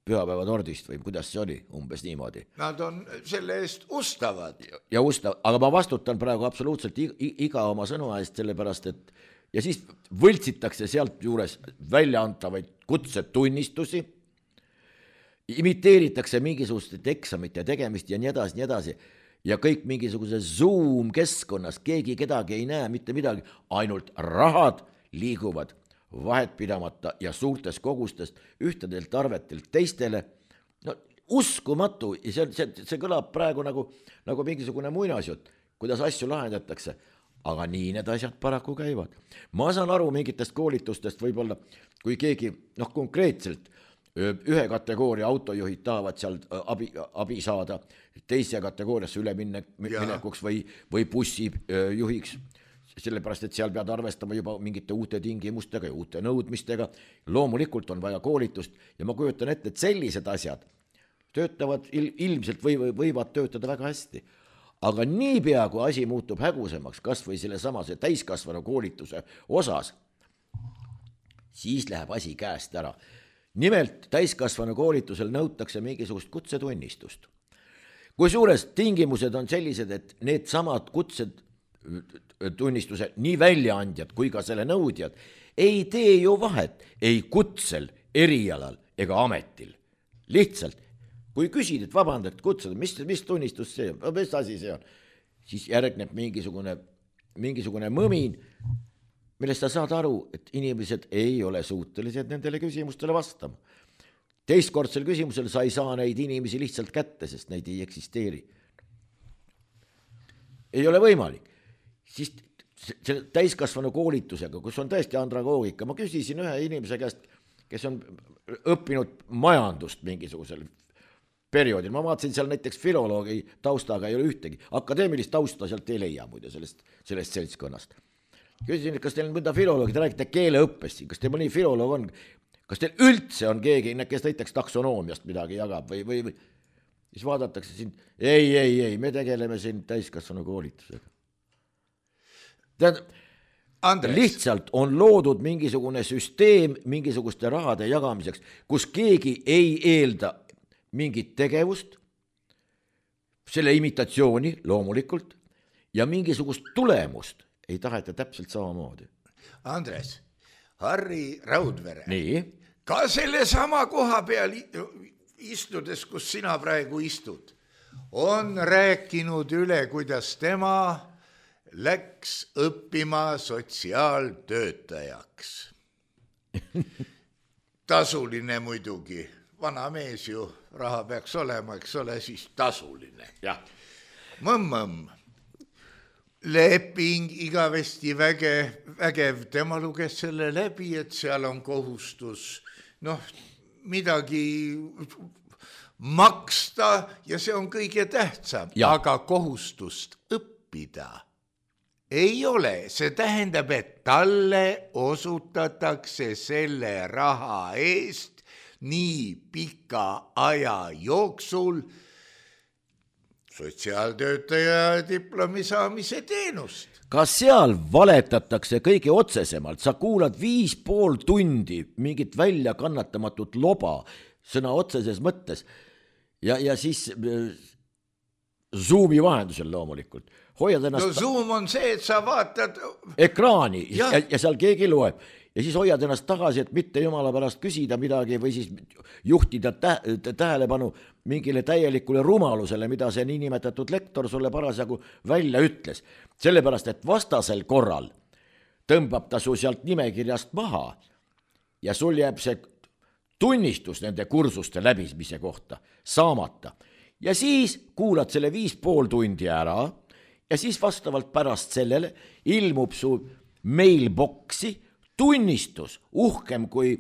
pühapäeva tordist või kuidas see oli, umbes niimoodi. Nad on selle eest ustavad. Ja ustav, aga ma vastutan praegu absoluutselt iga oma sõnu eest, sellepärast, et ja siis võltsitakse sealt juures väljaantavaid kutsetunnistusi, imiteeritakse mingisugust eksamite tegemist ja nii edasi, nii edasi. Ja kõik mingisuguse Zoom-keskkonnas, keegi kedagi ei näe, mitte midagi, ainult rahad liiguvad vahet pidamata ja suurtes kogustest ühtedelt arvetelt teistele. No, uskumatu, ja see, see, see kõlab praegu nagu, nagu mingisugune muinasjutt, kuidas asju lahendatakse, aga nii need asjad paraku käivad. Ma saan aru mingitest koolitustest võib-olla, kui keegi noh, konkreetselt ühe kategooria autojuhid tahavad seal abi, abi saada, teise kategooriasse üle minne, minekuks või, või bussi juhiks, sellepärast, et seal pead arvestama juba mingite uute tingimustega ja uute nõudmistega. Loomulikult on vaja koolitust ja ma kujutan ette, et sellised asjad töötavad il, ilmselt või, või võivad töötada väga hästi. aga niipea, kui asi muutub hägusemaks, kas või selle samase täiskasvanu koolituse osas, siis läheb asi käest ära. Nimelt täiskasvanu koolitusel nõutakse mingisugust kutsetunnistust. Kui suures tingimused on sellised, et need samad kutsetunnistuse nii väljaandjad kui ka selle nõudjad ei tee ju vahet ei kutsel, erialal ega ametil. Lihtsalt, kui küsid, et vabandad kutsed, mis, mis tunnistus see on, mis asi see on, siis järgneb mingisugune, mingisugune mõmin, millest sa saad aru, et inimesed ei ole suutelised nendele küsimustele vastama. Teistkordsel küsimusel sa ei saa neid inimesi lihtsalt kätte, sest neid ei eksisteeri. Ei ole võimalik. Siis selle täiskasvanu koolitusega, kus on tõesti andragoogika, ma küsisin ühe inimese käest, kes on õppinud majandust mingisugusel perioodil. Ma vaatasin seal näiteks filoloogi taustaga ei ole ühtegi. Akadeemilist tausta sealt ei leia muide sellest, sellest seltskonnast. Küsisin, kas teil on mõnda filoloogi, te räägite keeleõppest, kas teil mõni filoloog on, kas teil üldse on keegi, kes näiteks taksonoomiast midagi jagab või, või, või siis vaadatakse siin, ei, ei, ei, me tegeleme siin täiskasvanu koolitusega. Tead, lihtsalt on loodud mingisugune süsteem mingisuguste rahade jagamiseks, kus keegi ei eelda mingit tegevust, selle imitatsiooni loomulikult ja mingisugust tulemust ei taheta täpselt samamoodi. Andres, Harri Raudvere, nii? Ka selle sama koha peal istudes, kus sina praegu istud, on rääkinud üle, kuidas tema läks õppima sotsiaaltöötajaks. Tasuline muidugi, vana mees ju, raha peaks olema, eks ole, siis tasuline. Ja. Mõmm-mõmm. Leping igavesti väge, vägev, tema luges selle läbi, et seal on kohustus noh, midagi maksta ja see on kõige tähtsam, ja. Aga kohustust õppida ei ole. See tähendab, et talle osutatakse selle raha eest nii pika aja jooksul sotsiaaltöötaja diplomi saamise teenust. Kas seal valetatakse kõige otsesemalt? Sa kuulad viis pool tundi mingit välja kannatamatut loba sõna otseses mõttes ja, ja siis Zoomi vahendusel loomulikult. Hoiad ennast... No Zoom on see, et sa vaatad... ekraani ja, ja, ja seal keegi loeb. Ja siis hoiad ennast tagasi, et mitte jumala pärast küsida midagi või siis juhtida tä- tähelepanu mingile täielikule rumalusele, mida see niinimetatud lektor sulle parasjagu välja ütles. Sellepärast, et vastasel korral tõmbab ta su sealt nimekirjast maha ja sul jääb see tunnistus nende kursuste läbimise kohta saamata. Ja siis kuulad selle viis pool tundi ära ja siis vastavalt pärast sellele ilmub su mailboxi tunnistus uhkem kui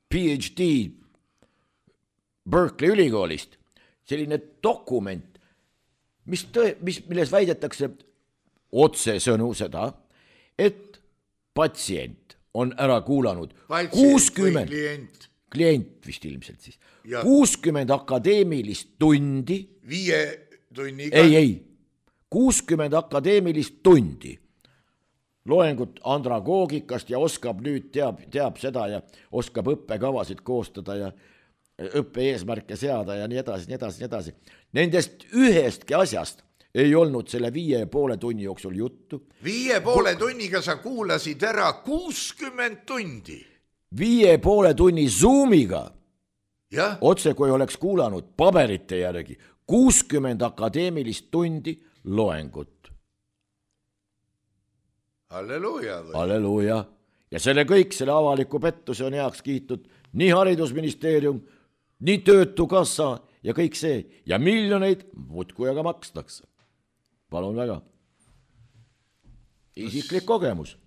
P H D Berkeley ülikoolist, selline dokument, mis tõe, mis, milles väidetakse otsesõnu seda, et patsient on ära kuulanud kuuskümmend klient. klient vist ilmselt siis, ja. kuuskümmend akadeemilist tundi, viie tunniga, ei, ei, kuuskümmend akadeemilist tundi loengut andragoogikast ja oskab nüüd teab, teab seda ja oskab õppekavasid koostada ja õppe eesmärke seada ja nii edasi, nii edasi, nii edasi. Nendest ühestki asjast ei olnud selle viie ja poole tunni jooksul juttu. Viie poole tunniga sa kuulasid ära kuuskümmend tundi. Viie poole tunni Zoomiga, ja? Otse kui oleks kuulanud paberite järgi, kuuskümmend akadeemilist tundi loengut. Halleluuja või? Halleluuja. Ja selle kõik, selle avaliku pettuse on heaks kiitud nii haridusministeerium, nii töötukassa ja kõik see. Ja miljoneid muudkui aga makstakse. Palun väga. Isiklik kogemus.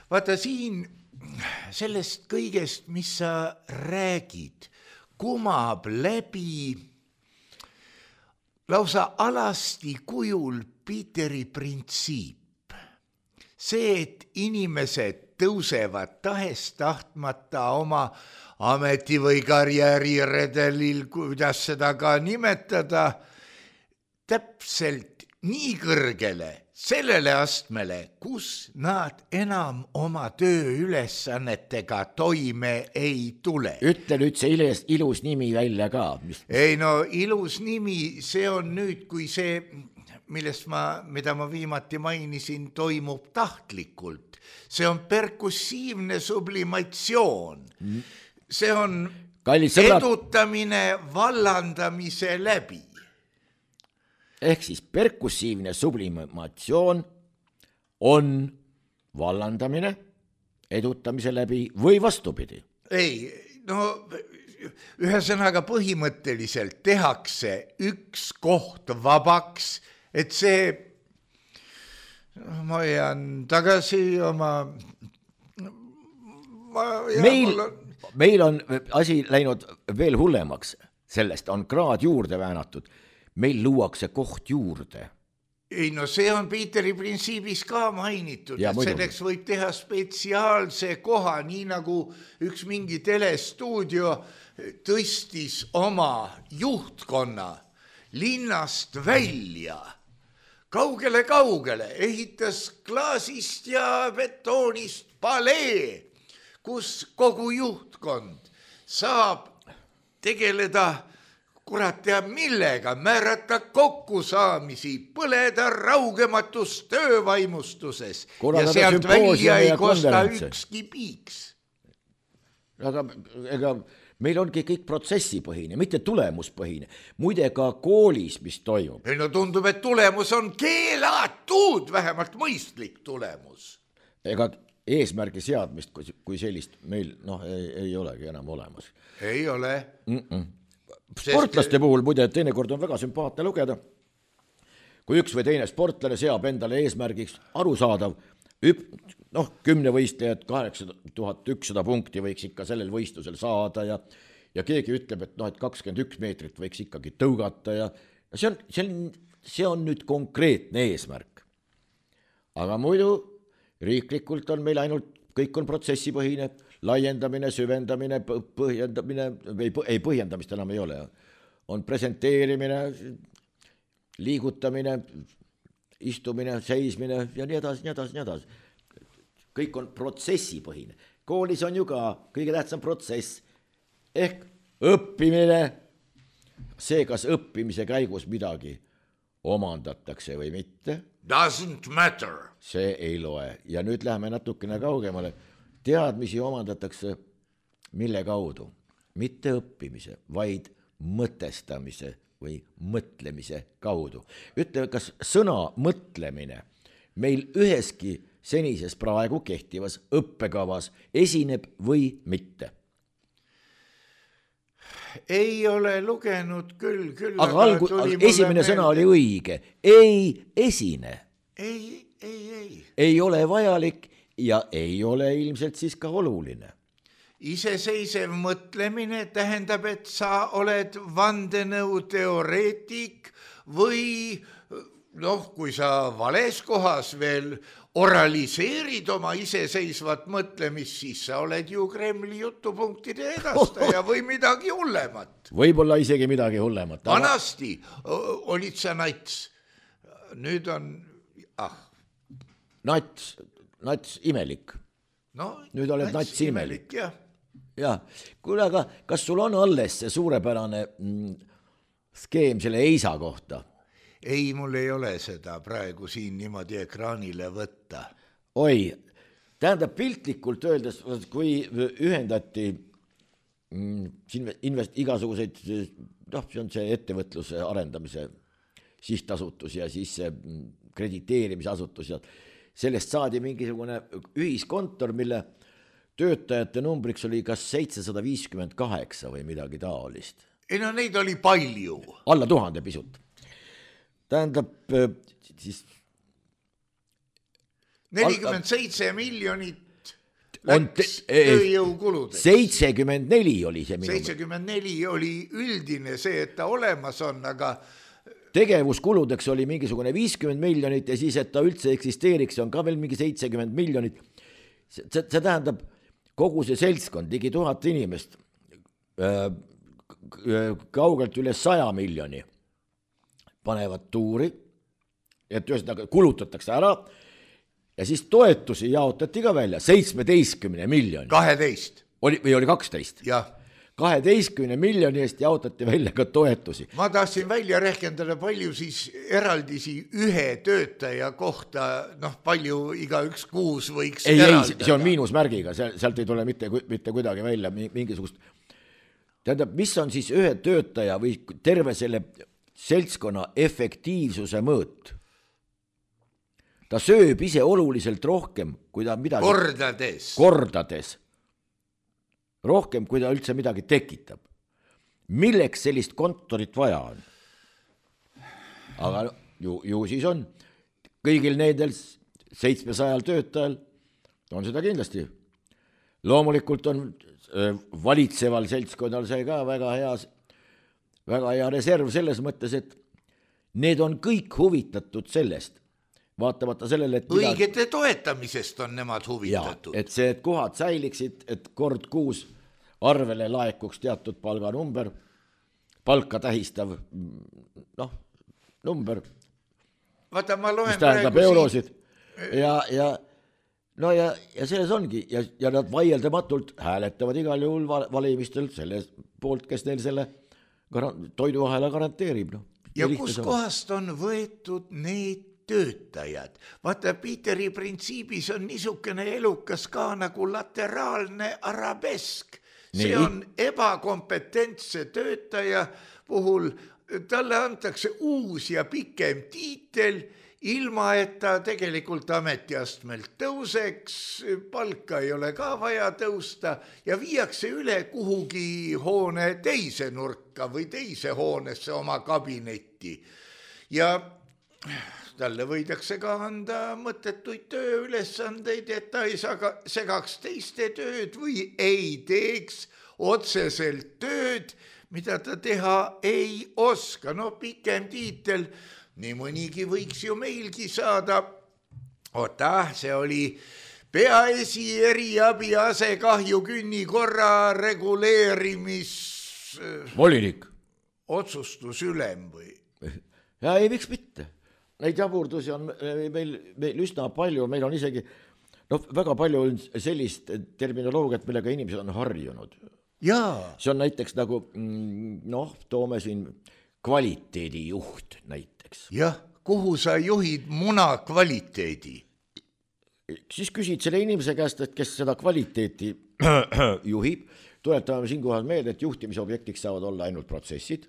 Vaata siin sellest kõigest, mis sa räägid, kumab läbi lausa alasti kujul Peteri printsiip. See, et inimesed tõusevad tahest tahtmata oma ameti- või karjääriredelil, kuidas seda ka nimetada, täpselt nii kõrgele, sellele astmele, kus nad enam oma tööülesannetega toime ei tule. Ütle nüüd see ilus, ilus nimi välja ka. Mis... ei no ilus nimi, see on nüüd, kui see, millest ma, mida ma viimati mainisin, toimub tahtlikult. See on perkussiivne sublimatsioon. See on edutamine vallandamise läbi. Ehk siis perkussiivne sublimatsioon on vallandamine edutamise läbi või vastupidi? Ei, no ühesõnaga põhimõtteliselt tehakse üks koht vabaks, et see, ma jään tagasi oma... Ma jään, meil, on... meil on asi läinud veel hullemaks, sellest on kraad juurde väänatud. Meil luuakse koht juurde. Ei no see on Piiteri printsiibis ka mainitud, ja, et selleks võib teha spetsiaalse koha, nii nagu üks mingi telestuudio tõstis oma juhtkonna linnast välja, kaugele-kaugele, ehitas klaasist ja betoonist palee, kus kogu juhtkond saab tegeleda kurat teab millega, määrata kokkusaamisi, põleda raugematus töövaimustuses Korraldada ja sealt välja ei kosta ükski piiks. Aga ega meil ongi kõik protsessipõhine, mitte tulemuspõhine. Muide ka koolis, mis toimub. Ei no tundub, et tulemus on keelatud, vähemalt mõistlik tulemus. Ega eesmärgi seadmist kui sellist meil noh, ei, ei olegi enam olemas. Ei ole. Mm-mm. Sportlaste puhul muide teinekord on väga sümpaatne lugeda, kui üks või teine sportlane seab endale eesmärgiks arusaadav, noh, kümne võistlejad kaheksa tuhat ükssada punkti võiks ikka sellel võistlusel saada ja, ja keegi ütleb, et noh, et kakskümmend üks meetrit võiks ikkagi tõugata ja see on, see on, see on nüüd konkreetne eesmärk. Aga muidu riiklikult on meil ainult, kõik on protsessipõhine, laiendamine, süvendamine, põhjendamine, ei, ei põhjendamist enam ei ole, on presenteerimine, liigutamine, istumine, seismine ja nii edasi, nii edasi, nii edasi. Kõik on protsessipõhine. Koolis on ju ka kõige tähtsam protsess ehk õppimine. See, kas õppimise käigus midagi omandatakse või mitte. Doesn't matter. See ei loe. Ja nüüd läheme natukene kaugemale. Teadmisi omandatakse mille kaudu? Mitte õppimise, vaid mõtestamise või mõtlemise kaudu. Ütle, kas sõna mõtlemine meil üheski senises praegu kehtivas õppekavas esineb või mitte? Ei ole lugenud küll, küll. Aga algu, esimene sõna oli õige. Ei esine. Ei, ei, ei. Ei ole vajalik ja ei ole ilmselt siis ka oluline. Iseseisev mõtlemine tähendab, et sa oled vandenõuteoreetik või noh, kui sa vales kohas veel oraliseerid oma iseseisvat mõtlemist, siis sa oled ju Kremli jutupunktide edastaja või midagi hullemat. Võib-olla isegi midagi hullemat. Vanasti olid sa nats. Nüüd on, ah. Nats, nats imelik. No, nüüd oled nats, nats imelik. Jah. Ja, kuule, aga kas sul on alles see suurepärane mm, skeem selle Eisa kohta? Ei, mul ei ole seda praegu siin niimoodi ekraanile võtta. Oi, tähendab piltlikult öeldes, kui ühendati mm, invest, igasuguseid, noh, see on see ettevõtluse arendamise sihtasutus ja siis see krediteerimise asutus ja sellest saadi mingisugune ühiskontor, mille töötajate numbriks oli kas seitsesada viiskümmend kaheksa või midagi taolist. Ei no neid oli palju. Alla tuhande pisut. Tähendab siis nelikümmend seitse miljonit läks tööjõukuludeks. seitsekümmend neli oli see minu. seitsekümmend neli oli üldine see, et ta olemas on, aga tegevuskuludeks oli mingisugune viiskümmend miljonit ja siis, et ta üldse eksisteeriks, on ka veel mingi seitsekümmend miljonit. See, see tähendab kogu see seltskond, ligi tuhat inimest, kaugelt üle saja miljoni panevad tuuri, et ühesõnaga kulutatakse ära ja siis toetusi jaotati ka välja, seitsmeteistkümne miljoni. kaheteist. Oli, või oli kaksteist? Jah. kaheteistkümne miljoni eest jaotati välja ka toetusi. Ma tahtsin välja rehkendada, palju siis eraldisi ühe töötaja kohta, noh, palju iga üks kuus võiks ei, eraldada. Ei, see on miinusmärgiga, sealt ei tule mitte, mitte kuidagi välja mingisugust. Tähendab, mis on siis ühe töötaja või terve selle seltskonna efektiivsuse mõõt? Ta sööb ise oluliselt rohkem, kui ta midagi... Kordades. Kordades. Rohkem, kui ta üldse midagi tekitab. Milleks sellist kontorit vaja on? Aga ju, ju siis on. Kõigil needel seitsmesajal töötajal on seda kindlasti. Loomulikult on valitseval seltskonnal see ka väga hea, väga hea reserv selles mõttes, et need on kõik huvitatud sellest. Vaatamata sellele, et õigete midagi... toetamisest on nemad huvitatud. Ja, et see, et kohad säiliksid, et kord kuus arvele laekuks teatud palganumber, palka tähistav, noh, number, Vaata, ma loen mis tähendab eurosid. Ja, ja, no ja, ja selles ongi, ja, ja nad vaieldamatult hääletavad igal juhul valimistel selle poolt, kes neil selle toiduahela garanteerib. No. Ja kus kohast on võetud need töötajad. Vaata, Peteri printsiibis on niisugune elukas ka nagu lateraalne arabesk. See Nii. on ebakompetentse töötaja puhul, talle antakse uus ja pikem tiitel, ilma et ta tegelikult ametiastmelt tõuseks, palka ei ole ka vaja tõusta ja viiakse üle kuhugi hoone teise nurka või teise hoonesse oma kabinetti. Ja talle võidakse ka anda mõttetuid tööülesandeid, et ta ei segaks teiste tööd või ei teeks otseselt tööd, mida ta teha ei oska. No pikem tiitel, nii mõnigi võiks ju meilgi saada. Oota, see oli peaesi eriabi asekahju künnikorra reguleerimis... Volinik. Otsustusülem või? Ja ei, miks mitte? Neid jaburdusi on meil, meil üsna palju, meil on isegi no, väga palju sellist terminoloogiat, millega inimesed on harjunud. Jaa. See on näiteks nagu, noh, toome siin kvaliteedijuht näiteks. Jah, kuhu sa juhid muna kvaliteedi? Siis küsid selle inimese käest, et kes seda kvaliteeti juhib, tuletame siinkohal meelde, et juhtimisobjektiks saavad olla ainult protsessid.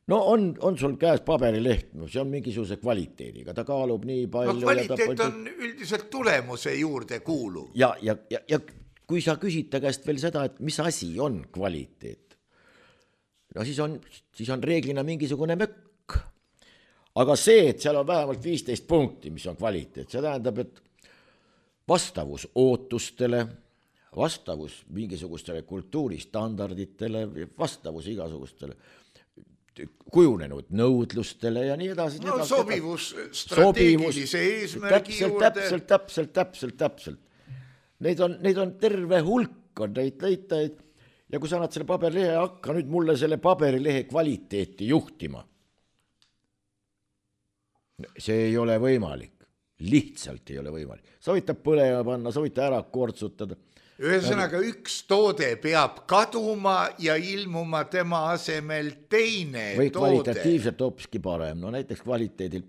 No on, on sul käes paberileht, no see on mingisuguse kvaliteediga, ta kaalub nii palju. No kvaliteet ta... on üldiselt tulemuse juurde kuuluv. Ja, ja, ja, ja kui sa küsid ta käest veel seda, et mis asi on kvaliteet, no siis on, siis on reeglina mingisugune mökk. Aga see, et seal on vähemalt viisteist punkti, mis on kvaliteet, see tähendab, et vastavus ootustele, vastavus mingisugustele kultuuristandarditele, vastavus igasugustele kujunenud nõudlustele ja nii edasi. No edasi, sobivus strateegilise eesmärgi täpselt, juurde. Täpselt, täpselt, täpselt, täpselt. Neid on, neid on terve hulk on neid leitajaid ja kui sa annad selle paberilehe, hakka nüüd mulle selle paberilehe kvaliteeti juhtima. See ei ole võimalik. Lihtsalt ei ole võimalik. Sa võid ta põlema panna, sa võid ta ära kortsutada. Ühesõnaga üks toode peab kaduma ja ilmuma tema asemel teine või toode. Või kvalitatiivselt hoopiski parem, no näiteks kvaliteedil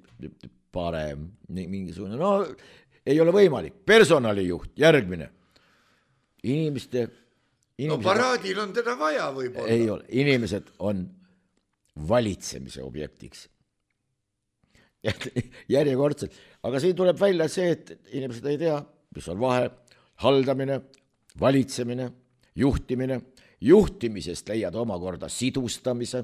parem, mingisugune, no ei ole võimalik. Personalijuht, järgmine. Inimeste... inimesed, no paraadil on teda vaja võib-olla. Ei ole, inimesed on valitsemise objektiks. Järjekordselt. Aga siin tuleb välja see, et inimesed ei tea, mis on vahe, haldamine, valitsemine, juhtimine, juhtimisest leiad omakorda sidustamise,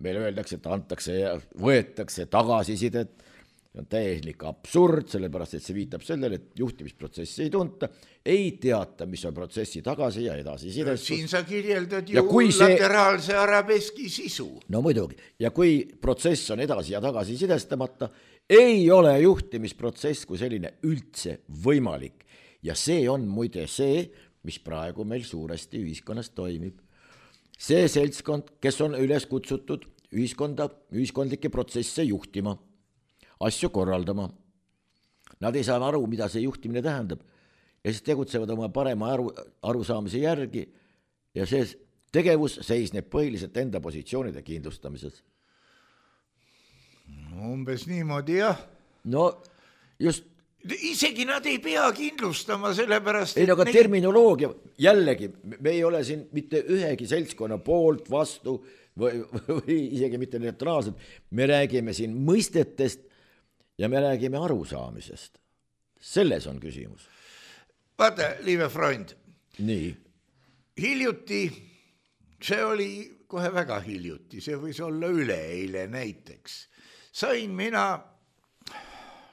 meil öeldakse, et antakse ja võetakse tagasisidet, see on täielik absurd, sellepärast, et see viitab sellele, et juhtimisprotsessi ei tunta, ei teata, mis on protsessi tagasi ja edasi sidestus. Siin sa kirjeldad ju see... lateraalse arabeski sisu. No muidugi, ja kui protsess on edasi ja tagasi sidestamata, ei ole juhtimisprotsess kui selline üldse võimalik. Ja see on muide see, mis praegu meil suuresti ühiskonnas toimib. See seltskond, kes on üles kutsutud ühiskonda, ühiskondlikke protsesse juhtima, asju korraldama. Nad ei saa aru, mida see juhtimine tähendab ja siis tegutsevad oma parema aru, arusaamise järgi ja see tegevus seisneb põhiliselt enda positsioonide kindlustamises. Umbes niimoodi, jah. No just. Isegi nad ei pea kindlustama sellepärast... Ei, aga neid... terminoloogia, jällegi, me ei ole siin mitte ühegi seltskonna poolt vastu või, või isegi mitte neutraalselt. Me räägime siin mõistetest ja me räägime arusaamisest. Selles on küsimus. Vaata, liive Freund. Nii. Hiljuti, see oli kohe väga hiljuti, see võis olla üleeile näiteks. Sain mina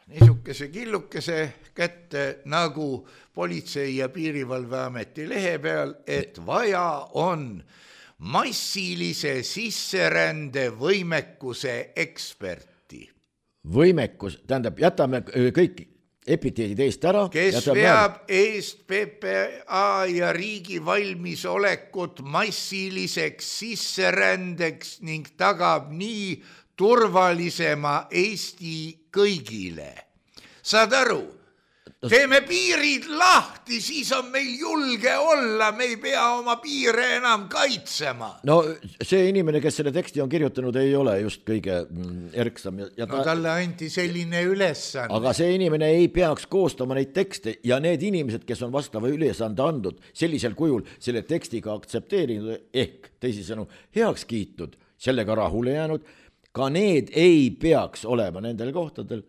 niisugese killukese kätte nagu Politsei- ja Piirivalveameti lehe peal, et vaja on massilise sisserände võimekuse eksperti. Võimekus, tähendab, jätame kõik epiteedid eest ära. Kes veab eest P P A ja riigi valmisolekut massiliseks sisserändeks ning tagab nii turvalisema Eesti kõigile. Saad aru? Teeme piirid lahti, siis on meil julge olla, me ei pea oma piire enam kaitsema. No see inimene, kes selle teksti on kirjutanud, ei ole just kõige erksam. Ja ta... No talle anti selline ülesanne. Aga see inimene ei peaks koostama neid tekste ja need inimesed, kes on vastava ülesande andnud, sellisel kujul selle tekstiga aktsepteerinud ehk teisisõnu heaks kiitud, sellega rahule jäänud, ka need ei peaks olema nendel kohtadel,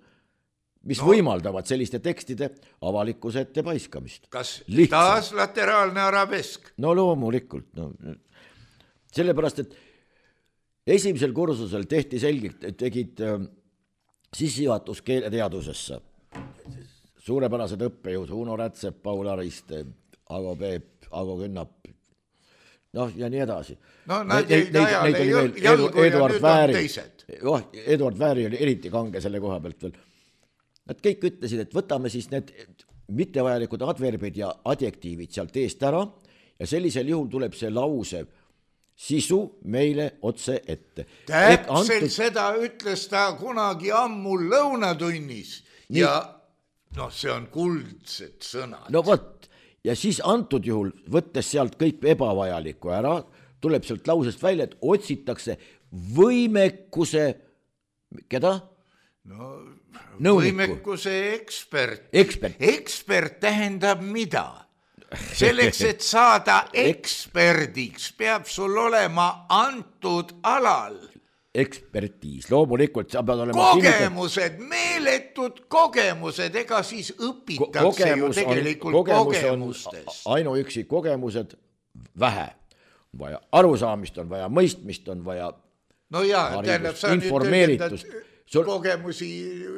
mis no, võimaldavad selliste tekstide avalikkuse ette paiskamist. Kas lihtsalt. Taas lateraalne arabesk? No loomulikult. No. Sellepärast, et esimesel kursusel tehti selgelt, tegid äh, sissejuhatus keeleteadusesse. Suurepärased õppejõud, Uno Rätsep, Paul Ariste, Ago Peep, Ago Künnap, noh ja nii edasi. No nad jäid ajale jalgu ja nüüd on teised. Oh, Eduard Vääri oli eriti kange selle koha pealt veel. Nad kõik ütlesid, et võtame siis need mittevajalikud adverbid ja adjektiivid sealt eest ära ja sellisel juhul tuleb see lause sisu meile otse ette. Täpselt antud... seda ütles ta kunagi ammu lõunatunnis nii... ja noh, see on kuldsed sõnad. No võt, ja siis antud juhul, võttes sealt kõik ebavajalikku ära, tuleb sealt lausest välja, et otsitakse võimekuse, keda? No, Nõuniku. Võimekuse ekspert. Ekspert. Ekspert tähendab mida? Selleks, et saada eksperdiks, peab sul olema antud alal. Ekspertiis, loomulikult sa pead olema kogemused, sinne... meeletud kogemused, ega siis õpitakse kogemus ju tegelikult on, kogemustest. Ainuüksi kogemused vähe. On vaja arusaamist, on vaja mõistmist, on vaja no jaa, tähendab, sa informeeritust. Sul... kogemusi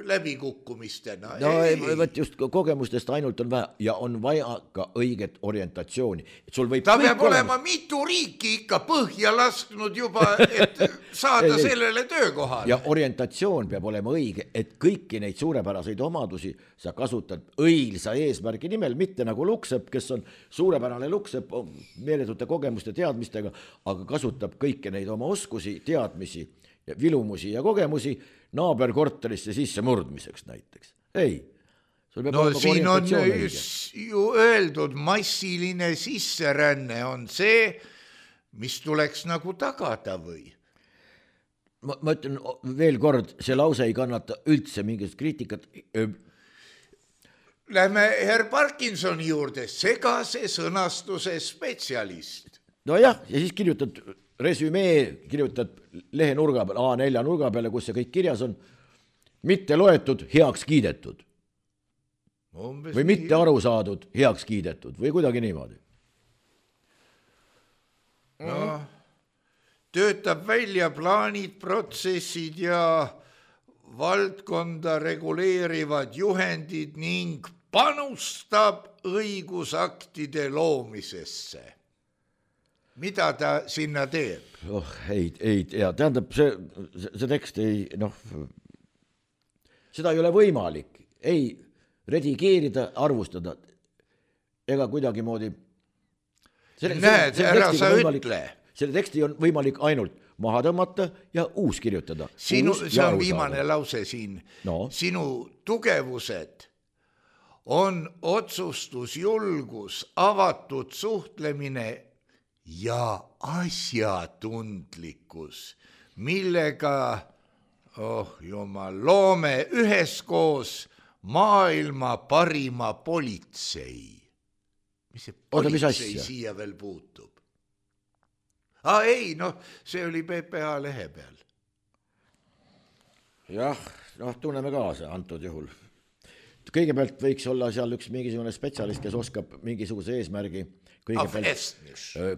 läbikukkumistena. No ei, võt just kogemustest ainult on vaja ja on vaja ka õiget orientatsiooni. Et sul võib ta peab olema olemas... mitu riiki ikka põhja lasknud juba, et saada ei, sellele töökohale. Ja orientatsioon peab olema õige, et kõiki neid suurepäraseid omadusi sa kasutad õilsa eesmärgi nimel, mitte nagu Luksepp, kes on suurepärane Luksepp meeletute kogemuste teadmistega, aga kasutab kõiki neid oma oskusi, teadmisi, vilumusi ja kogemusi naaberkorterisse sisse murdmiseks näiteks. Ei. No siin on ju öeldud, massiline sisseränne on see, mis tuleks nagu tagada või? Ma, ma ütlen veel kord, see lause ei kannata üldse mingit kriitikat. Lähme herr Parkinsoni juurde, segase sõnastuse spetsialist. No jah, ja siis kirjutad resümee, kirjutad lehe nurga peale, A nelja nurga peale, kus see kõik kirjas on, mitte loetud, heaks kiidetud. Umbes või mitte aru saadud, heaks kiidetud või kuidagi niimoodi. No, töötab välja plaanid, protsessid ja valdkonda reguleerivad juhendid ning panustab õigusaktide loomisesse. Mida ta sinna teeb? Oh, ei, ei tea, tähendab, see, see tekst ei, noh, seda ei ole võimalik, ei redigeerida, arvustada, ega kuidagi moodi. Selle, Näed, selle ära sa võimalik, ütle. Selle teksti on võimalik ainult maha tõmmata ja uus kirjutada. Sinu, uus see on viimane lause siin. No. Sinu tugevused on otsustusjulgus, avatud suhtlemine ja asjatundlikkus, millega oh jumal, loome üheskoos maailma parima politsei. Mis see politsei Oda, siia veel puutub? Ah, ei, noh, see oli P P A lehe peal. Jah, noh, tunneme kaasa antud juhul. Kõigepealt võiks olla seal üks mingisugune spetsialist, kes oskab mingisuguse eesmärgi kõigepealt,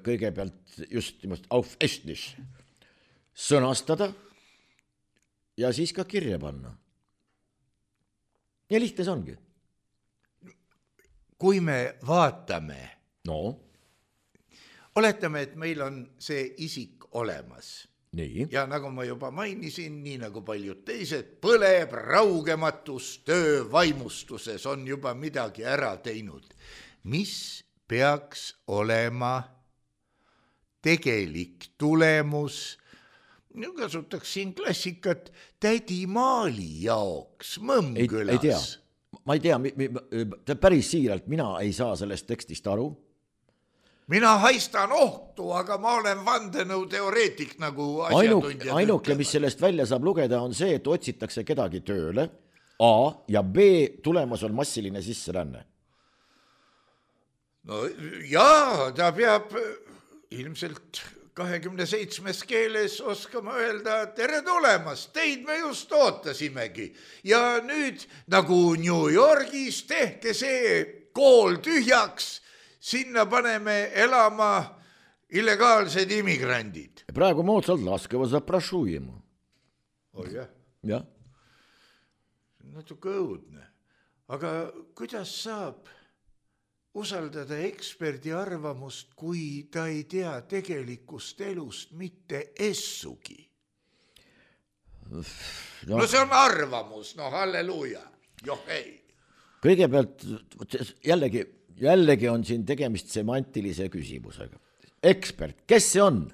kõigepealt just auf Estnisch sõnastada ja siis ka kirja panna. Ja lihtne see ongi. Kui me vaatame, no. oletame, et meil on see isik olemas. Nii. Ja nagu ma juba mainisin, nii nagu paljud teised, põleb raugematus töö vaimustuses, on juba midagi ära teinud. Mis peaks olema tegelik tulemus, kasutaks siin klassikat, tädi Maali jaoks Mõmmkülas? Ei, ei tea, ma ei tea, mi, mi, päris siiralt, mina ei saa sellest tekstist aru. Mina haistan ohtu, aga ma olen vandenõu teoreetik nagu asjatundjad. Ainuke, mis sellest välja saab lugeda, on see, et otsitakse kedagi tööle, A, ja B, tulemas on massiline sisseränne. No jaa, ta peab ilmselt kahekümne seitsmes keeles oskama öelda, tere tulemast, teid me just ootasimegi. Ja nüüd nagu New Yorgis tehke see kool tühjaks, sinna paneme elama illegaalsed immigrandid. Praegu moodsalt laskeva zaprašujemu. Oh jah. Jah. Natuke õudne. Aga kuidas saab usaldada eksperdi arvamust, kui ta ei tea tegelikust elust mitte essugi? No, no see on arvamus, no halleluuja. Joh, ei. Kõigepealt jällegi Jällegi on siin tegemist semantilise küsimusega. Ekspert, kes see on?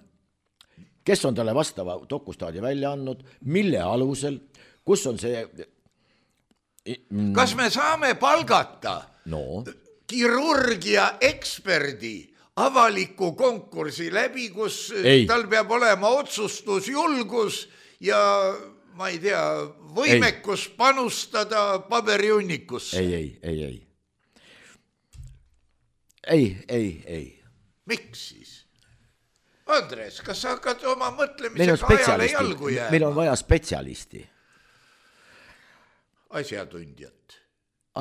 Kes on talle vastava dokustaadi välja andnud? Mille alusel? Kus on see? Kas me saame palgata no. kirurgia eksperdi avaliku konkursi läbi, kus ei. Tal peab olema otsustusjulgus ja ma ei tea, võimekus ei. Panustada paberiunnikusse? Ei, ei, ei, ei. Ei, ei, ei. Miks siis? Andres, kas sa hakkad oma mõtlemisega ajale jalgu jääma? Meil on vaja spetsialisti. Asjatundjat.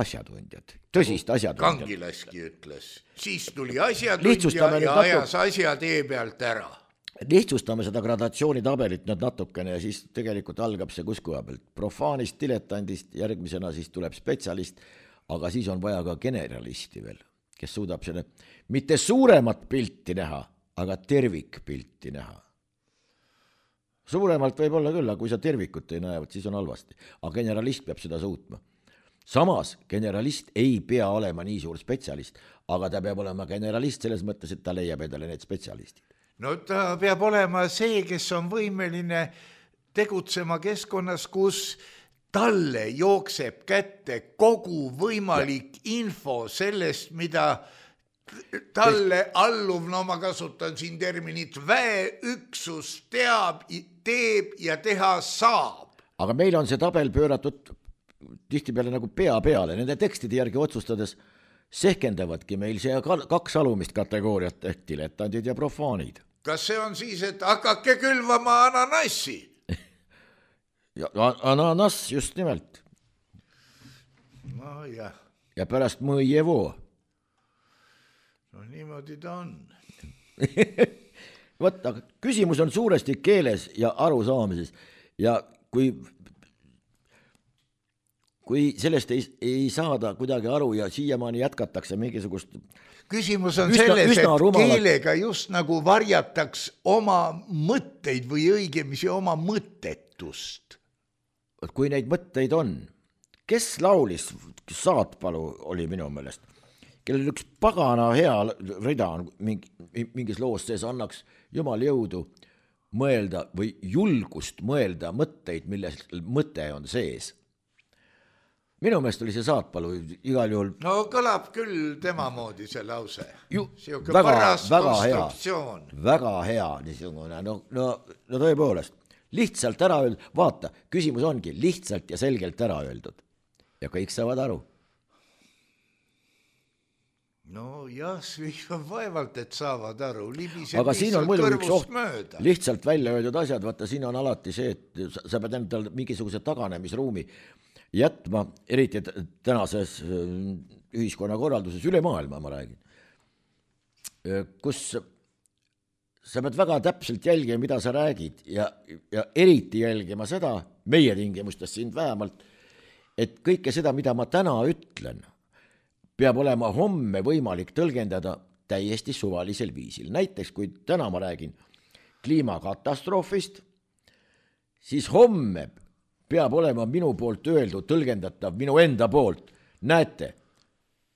Asjatundjat. Tõsist asjatundjat. Kangilaski ütles. Siis tuli asjatundja ja ajas asja tee pealt ära. Lihtsustame seda gradatsioonitabelit nüüd natukene ja siis tegelikult algab see kuskoha pealt. Profaanist, diletandist, järgmisena siis tuleb spetsialist, aga siis on vaja ka generalisti veel, kes suudab selle mitte suuremat pilti näha, aga tervikpilti näha. Suuremalt võib olla küll, aga kui sa tervikut ei näe, siis on halvasti. Aga generalist peab seda suutma. Samas, generalist ei pea olema nii suur spetsialist, aga ta peab olema generalist selles mõttes, et ta leiab endale need spetsialistid. No ta peab olema see, kes on võimeline tegutsema keskkonnas, kus talle jookseb kätte kogu võimalik info sellest, mida talle alluv, no ma kasutan siin terminit, väeüksus teab, teeb ja teha saab. Aga meil on see tabel pööratud tihtipeale nagu pea peale. Nende tekstide järgi otsustades sehkendavadki meil see kaks alumist kategooriat ehk diletandid ja profaanid. Kas see on siis, et hakake külvama ananassi? Ja, ananas just nimelt. No jah. Ja pärast mõjevo. No niimoodi ta on. Võt, aga küsimus on suuresti keeles ja arusaamises. Ja kui, kui sellest ei, ei saada kuidagi aru ja siiamaani jätkatakse mingisugust... Küsimus on üsna, selles, üsna et rumalat... keelega just nagu varjataks oma mõtteid või õigemisi oma mõttetust. Kui neid mõtteid on, kes laulis, Saatpalu oli minu meelest, kellel üks pagana hea rida on mingis loos sees, annaks jumal jõudu mõelda või julgust mõelda mõtteid, milles mõte on sees. Minu meelest oli see Saatpalu igal juhul. No kõlab küll tema moodi see lause. Ju, Siuke väga, paras väga konstruktsioon. hea, väga hea niisugune, no, no, no tõepoolest, lihtsalt ära öeldud, vaata, küsimus ongi lihtsalt ja selgelt ära öeldud ja kõik saavad aru. No jah, vaevalt, et saavad aru. Libiseb aga siin on muidu üks oht, mööda. Lihtsalt välja öeldud asjad, vaata siin on alati see, et sa pead endal mingisuguse taganemisruumi jätma, eriti tänases ühiskonnakorralduses üle maailma, ma räägin, kus sa pead väga täpselt jälgima, mida sa räägid ja, ja eriti jälgima seda, meie tingimustes siin vähemalt, et kõike seda, mida ma täna ütlen, peab olema homme võimalik tõlgendada täiesti suvalisel viisil. Näiteks, kui täna ma räägin kliimakatastroofist, siis homme peab olema minu poolt öeldud, tõlgendatav minu enda poolt. Näete,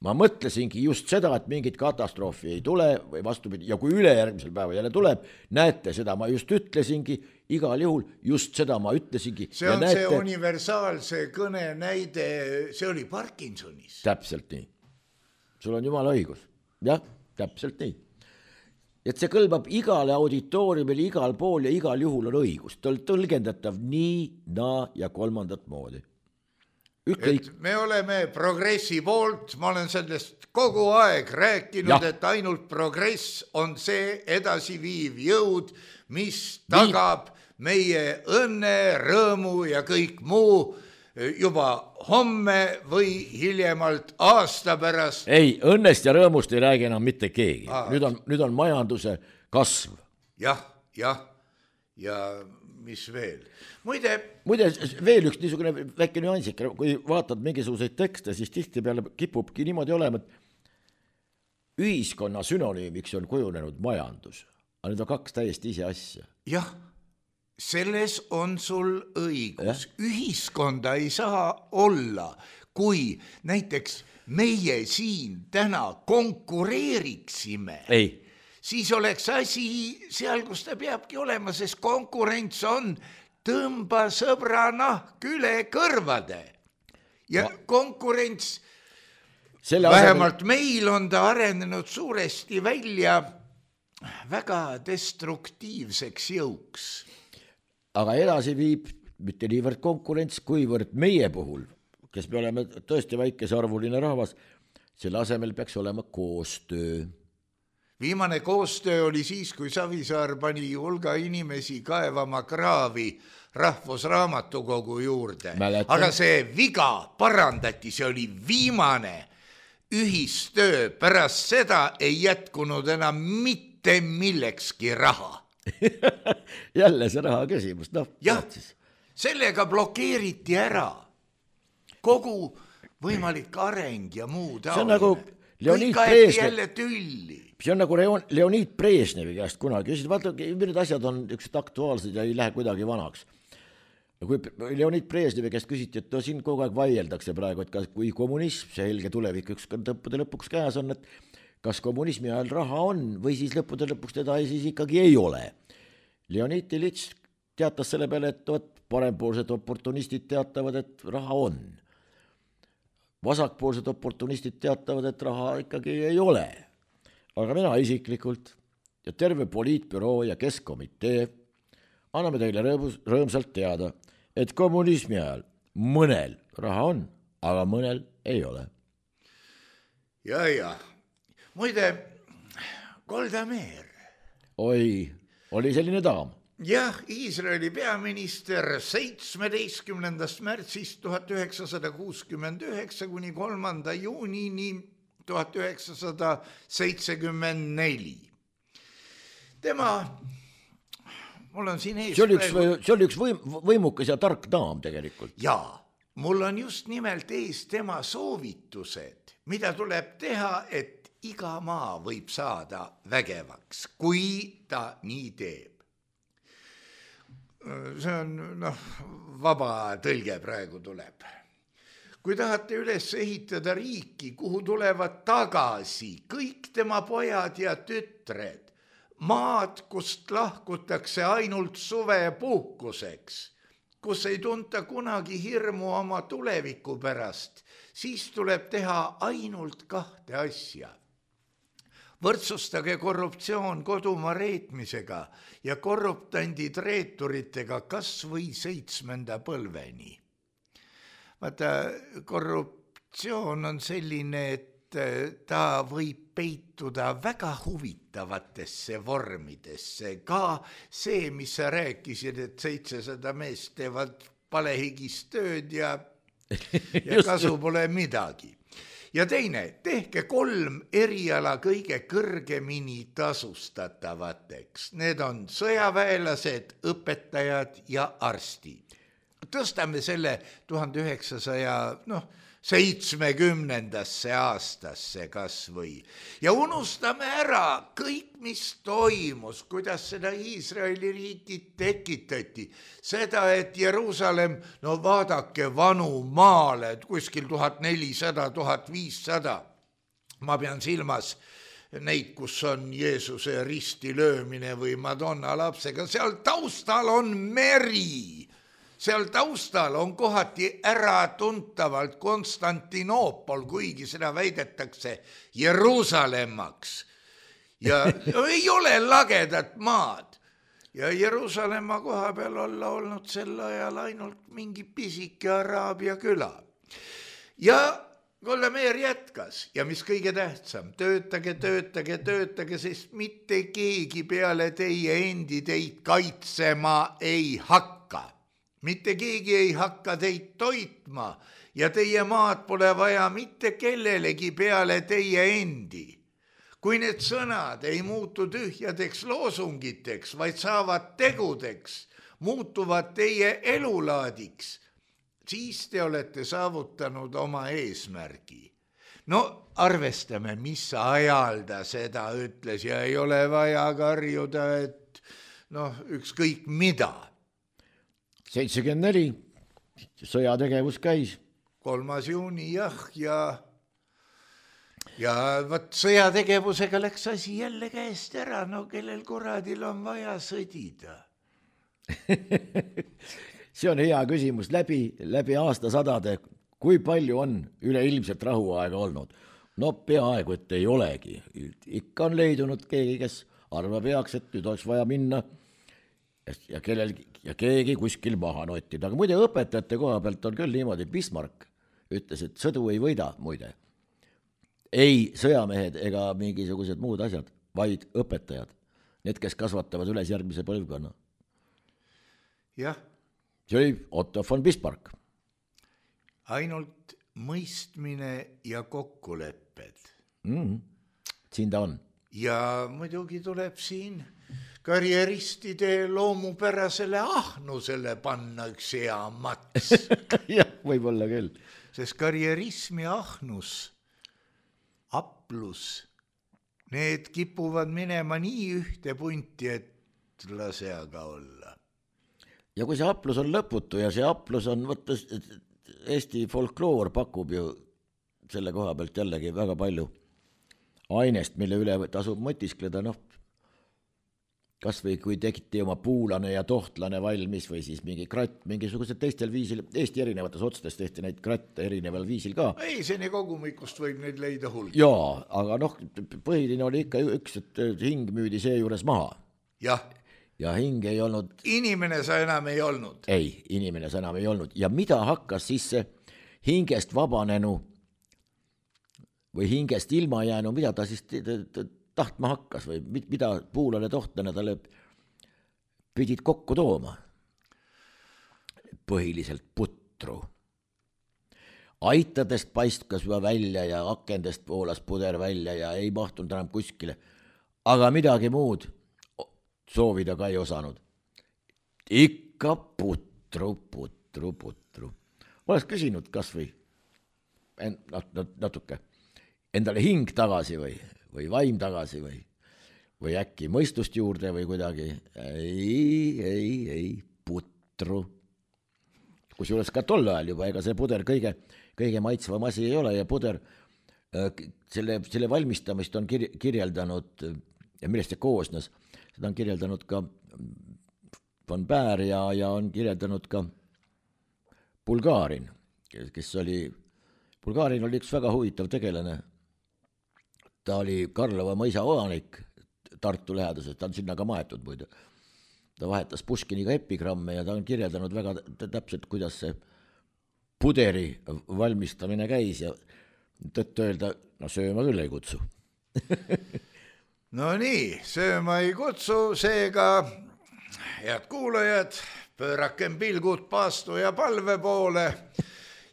ma mõtlesingi just seda, et mingit katastroofi ei tule või vastupidi, ja kui ülejärgmisel päeva jälle tuleb, näete, seda ma just ütlesingi, igal juhul just seda ma ütlesingi. See on näete, see universaalse kõne näide, see oli Parkinsonis. Täpselt nii. Sul on jumala õigus. Jah, täpselt nii. Et see kõlbab igale auditooriumile, igal pool ja igal juhul on õigus. Ta on tõlgendatav nii, naa ja kolmandat moodi. Ükkõik... me oleme progressi poolt, ma olen sellest kogu aeg rääkinud, ja. Et ainult progress on see edasiviiv jõud, mis tagab meie õnne, rõõmu ja kõik muu juba homme või hiljemalt aasta pärast. Ei, õnnest ja rõõmust ei räägi enam mitte keegi. Nüüd on, nüüd on majanduse kasv. Jah, jah, ja mis veel? Muide, Muide, veel üks niisugune väike nüansik, kui vaatad mingisuguseid tekste, siis tihti peale kipubki niimoodi olema, et ühiskonna sünonüümiks on kujunenud majandus. Aga need on kaks täiesti ise asja. Jah. Selles on sul õigus. Ja? Ühiskonda ei saa olla, kui näiteks meie siin täna konkureeriksime. Ei. Siis oleks asi seal, kus ta peabki olema, sest konkurents on tõmba sõbra nahk üle kõrvade. Ja Ma... konkurents, Selle vähemalt asemel... meil on ta arenenud suuresti välja väga destruktiivseks jõuks. Aga edasi viib mitte niivõrd konkurents, kuivõrd meie puhul, kes me oleme tõesti väikesarvuline rahvas, selle asemel peaks olema koostöö. Viimane koostöö oli siis, kui Savisaar pani hulga inimesi kaevama kraavi Rahvusraamatukogu juurde. Mäletan. Aga see viga parandati, see oli viimane ühistöö. Pärast seda ei jätkunud enam mitte millekski raha. Jälle see raha küsimus, noh. Jah, sellega blokeeriti ära kogu võimalik areng ja muu taoline. See on nagu Leonid Brežnev. See on nagu Leonid Brežnevi käest kunagi. Vaata, need asjad on üks aktuaalsed ja ei lähe kuidagi vanaks. Kui Leonid Brežnevi käest küsiti, et no siin kogu aeg vaieldakse praegu, et kas, kui kommunism, see helge tulevik üks tõppude lõpuks käes on, et kas kommunismi ajal raha on või siis lõppude lõpuks teda siis ikkagi ei ole. Leonid Ilitš teatas selle peale, et võt, parempoolsed oportunistid teatavad, et raha on. Vasakpoolsed oportunistid teatavad, et raha ikkagi ei ole. Aga mina isiklikult ja terve poliitbüroo ja keskkomitee anname teile rõõmus, rõõmsalt teada, et kommunismi ajal mõnel raha on, aga mõnel ei ole. Ja, ja. Muide, Golda Meir. Oi, oli selline daam. Jah, Iisraeli peaminister seitsmeteistkümnendast märtsist tuhat üheksasada kuuskümmend üheksa kuni kolmanda juunini tuhat üheksasada seitsekümmend neli. Tema, mul on siin ees... See oli üks, praegu... see oli üks võim, võimukas ja tark daam tegelikult. Jaa, mul on just nimelt ees tema soovitused, mida tuleb teha, et iga maa võib saada vägevaks, kui ta nii teeb. See on, noh, vaba tõlge praegu tuleb. Kui tahate üles ehitada riiki, kuhu tulevad tagasi kõik tema pojad ja tütred, maad, kust lahkutakse ainult suvepuhkuseks, kus ei tunta kunagi hirmu oma tuleviku pärast, siis tuleb teha ainult kahte asja. Võrdsustage korruptsioon kodumaa reetmisega ja korruptandid reeturitega kas või seitsmenda põlveni. Vaata, korruptsioon on selline, et ta võib peituda väga huvitavatesse vormidesse. Ka see, mis sa rääkisid, et seitsesada meest teevad palehigist tööd ja, ja kasu pole midagi. Ja teine, tehke kolm eriala kõige kõrgemini tasustatavateks. Need on sõjaväelased, õpetajad ja arstid. Tõstame selle tuhande üheksasaja noh, seitsmekümnendasse aastasse kas või. Ja unustame ära kõik, mis toimus, kuidas seda Iisraeli riiki tekitati. Seda, et Jeruusalemm, no vaadake vanu maale, kuskil tuhat nelisada, tuhat viissada. Ma pean silmas neid, kus on Jeesuse risti löömine või Madonna lapsega. Seal taustal on meri. Seal taustal on kohati äratuntavalt Konstantinoopol, kuigi seda väidetakse Jeruusalemmaks. Ja ei ole lagedat maad. Ja Jeruusalemma koha peal olla olnud sel ajal ainult mingi pisike Araabia küla. Ja Kollemeer jätkas ja mis kõige tähtsam, töötage, töötage, töötage, sest mitte keegi peale teie endi teid kaitsema ei hakka. Mitte keegi ei hakka teid toitma ja teie maad pole vaja mitte kellelegi peale teie endi. Kui need sõnad ei muutu tühjadeks loosungiteks, vaid saavad tegudeks, muutuvad teie elulaadiks, siis te olete saavutanud oma eesmärgi. No arvestame, mis ajal ta seda ütles ja ei ole vaja karjuda, et noh, ükskõik mida. seitsekümmend neli, sõjategevus käis. kolmas juuni, jah, ja, ja võt sõjategevusega läks asi jälle käest ära, no kellel kuradil on vaja sõdida. See on hea küsimus, läbi, läbi aastasadade, kui palju on üleilmselt rahuaega olnud? No peaaegu, et ei olegi. Ikka on leidunud keegi, kes arvab heaks, et nüüd oleks vaja minna ja kellel ja keegi kuskil maha nottida. Aga muide õpetajate koha pealt on küll niimoodi, Bismarck ütles, et sõdu ei võida, muide. Ei sõjamehed ega mingisugused muud asjad, vaid õpetajad. Need, kes kasvatavad üles järgmise põlvkonna. Jah. See oli Otto von Bismarck. Ainult mõistmine ja kokkulepped. Mm, siin ta on. Ja muidugi tuleb siin karjeristide loomupärasele ahnusele panna üks hea mats. Jah, võib olla küll. Sest karjerism ja ahnus, aplus, need kipuvad minema nii ühte punti, et lase aga olla. Ja kui see aplus on lõputu ja see aplus on, võttes, Eesti folkloor pakub ju selle koha pealt jällegi väga palju ainest, mille üle tasub mõtiskleda, noh, kas või kui tekiti oma puulane ja tohtlane valmis või siis mingi kratt, mingisugused teistel viisil, Eesti erinevates otsades tehti neid kratte erineval viisil ka. Ei, seni kogumikust võib neid leida hulk. Jaa, aga noh, põhiline oli ikka üks, et hing müüdi see juures maha. Jah. Ja hing ei olnud... Inimene sa enam ei olnud. Ei, inimene sa enam ei olnud. Ja mida hakkas siis see hingest vabanenu või hingest ilma jäänu, mida ta siis tahtma hakkas või mida puulane tohtlane talle pidid kokku tooma? Põhiliselt putru. Aitadest paistkas juba välja ja akendest poolas puder välja ja ei mahtunud enam kuskile. Aga midagi muud soovida ka ei osanud. Ikka putru, putru, putru. Oleks küsinud kas või natuke endale hing tagasi või, või vaim tagasi või, või äkki mõistust juurde või kuidagi. Ei, ei, ei, putru. Kusjuures ka tol ajal juba, ega see puder kõige, kõige maitsvam asi ei ole ja puder, selle, selle valmistamist on kir, kirjeldanud ja millest see koosnes, seda on kirjeldanud ka Von Baer ja, ja on kirjeldanud ka Bulgarin, kes oli, Bulgarin oli üks väga huvitav tegelane. Ta oli Karlova mõisa omanik Tartu läheduses, ta on sinna ka maetud muide. Ta vahetas Puškiniga epigramme ja ta on kirjeldanud väga täpselt, kuidas see puderi valmistamine käis ja tõtt öelda, no sööma küll ei kutsu. No nii, sööma ei kutsu, seega head kuulajad, pöörakem pilgud paastu ja palve poole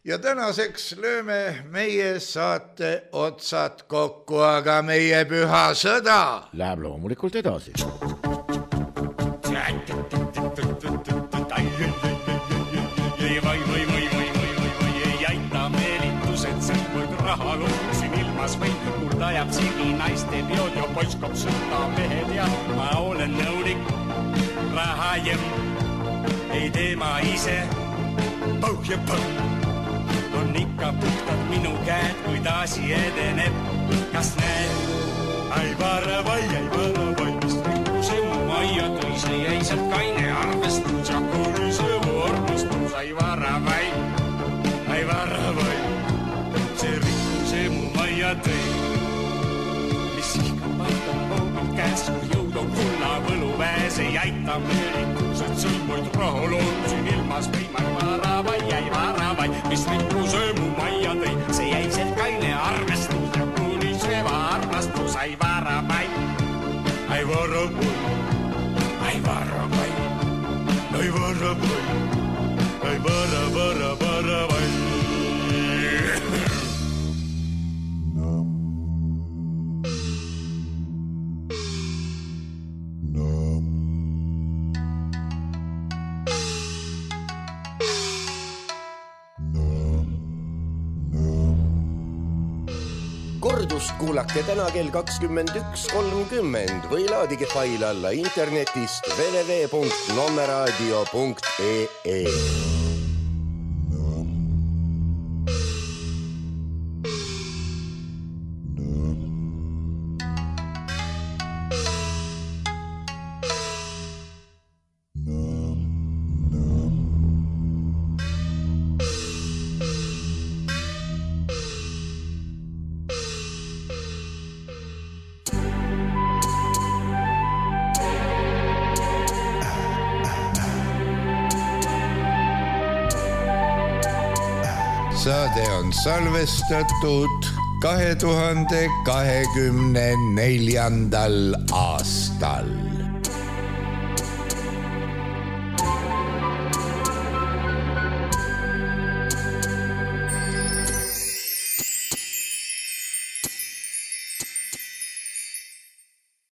ja tänaseks lööme meie saate otsad kokku, aga meie püha sõda läheb loomulikult edasi. Vai, vai, vai, vai, vai, vai, vai, ei aita meelitused, sõlmuid raha luusin ilmas või mul tajab sigi naiste peod ja poiskab sõtta mehed ja ma olen nõulik raha jem, ei tee ma ise pauh ja pauh on ikka puhtad minu käed, kui taasi edeneb, kas näed? Ai vara vai, ai vara vai, mis rikkuse mu maia tõi, see jäi sealt kaine arvestus ja kui see mu arvestus, ai vara vai, ai vara vai, see rikkuse mu maia tõi, mis ihka paikab hoogalt käes, kui jõud on kulla võlu väes, ei aita meelitused, sõlmuid raha loosin ilmas või ma ei vara vai, ai vara vai, mis rikkuse mu maia tõi, see jäi sealt kaine arvestus ja kui see armastus, ai vara vai, ai vara vai, ai vara vai, ai vara vai, ai vara, vara, vara vai. Kordust kuulake täna kell kakskümmend üks kolmkümmend või laadige fail alla internetist w w w punkt nommeradio punkt e e. Saade on salvestatud kahe tuhande kahekümne neljandal aastal.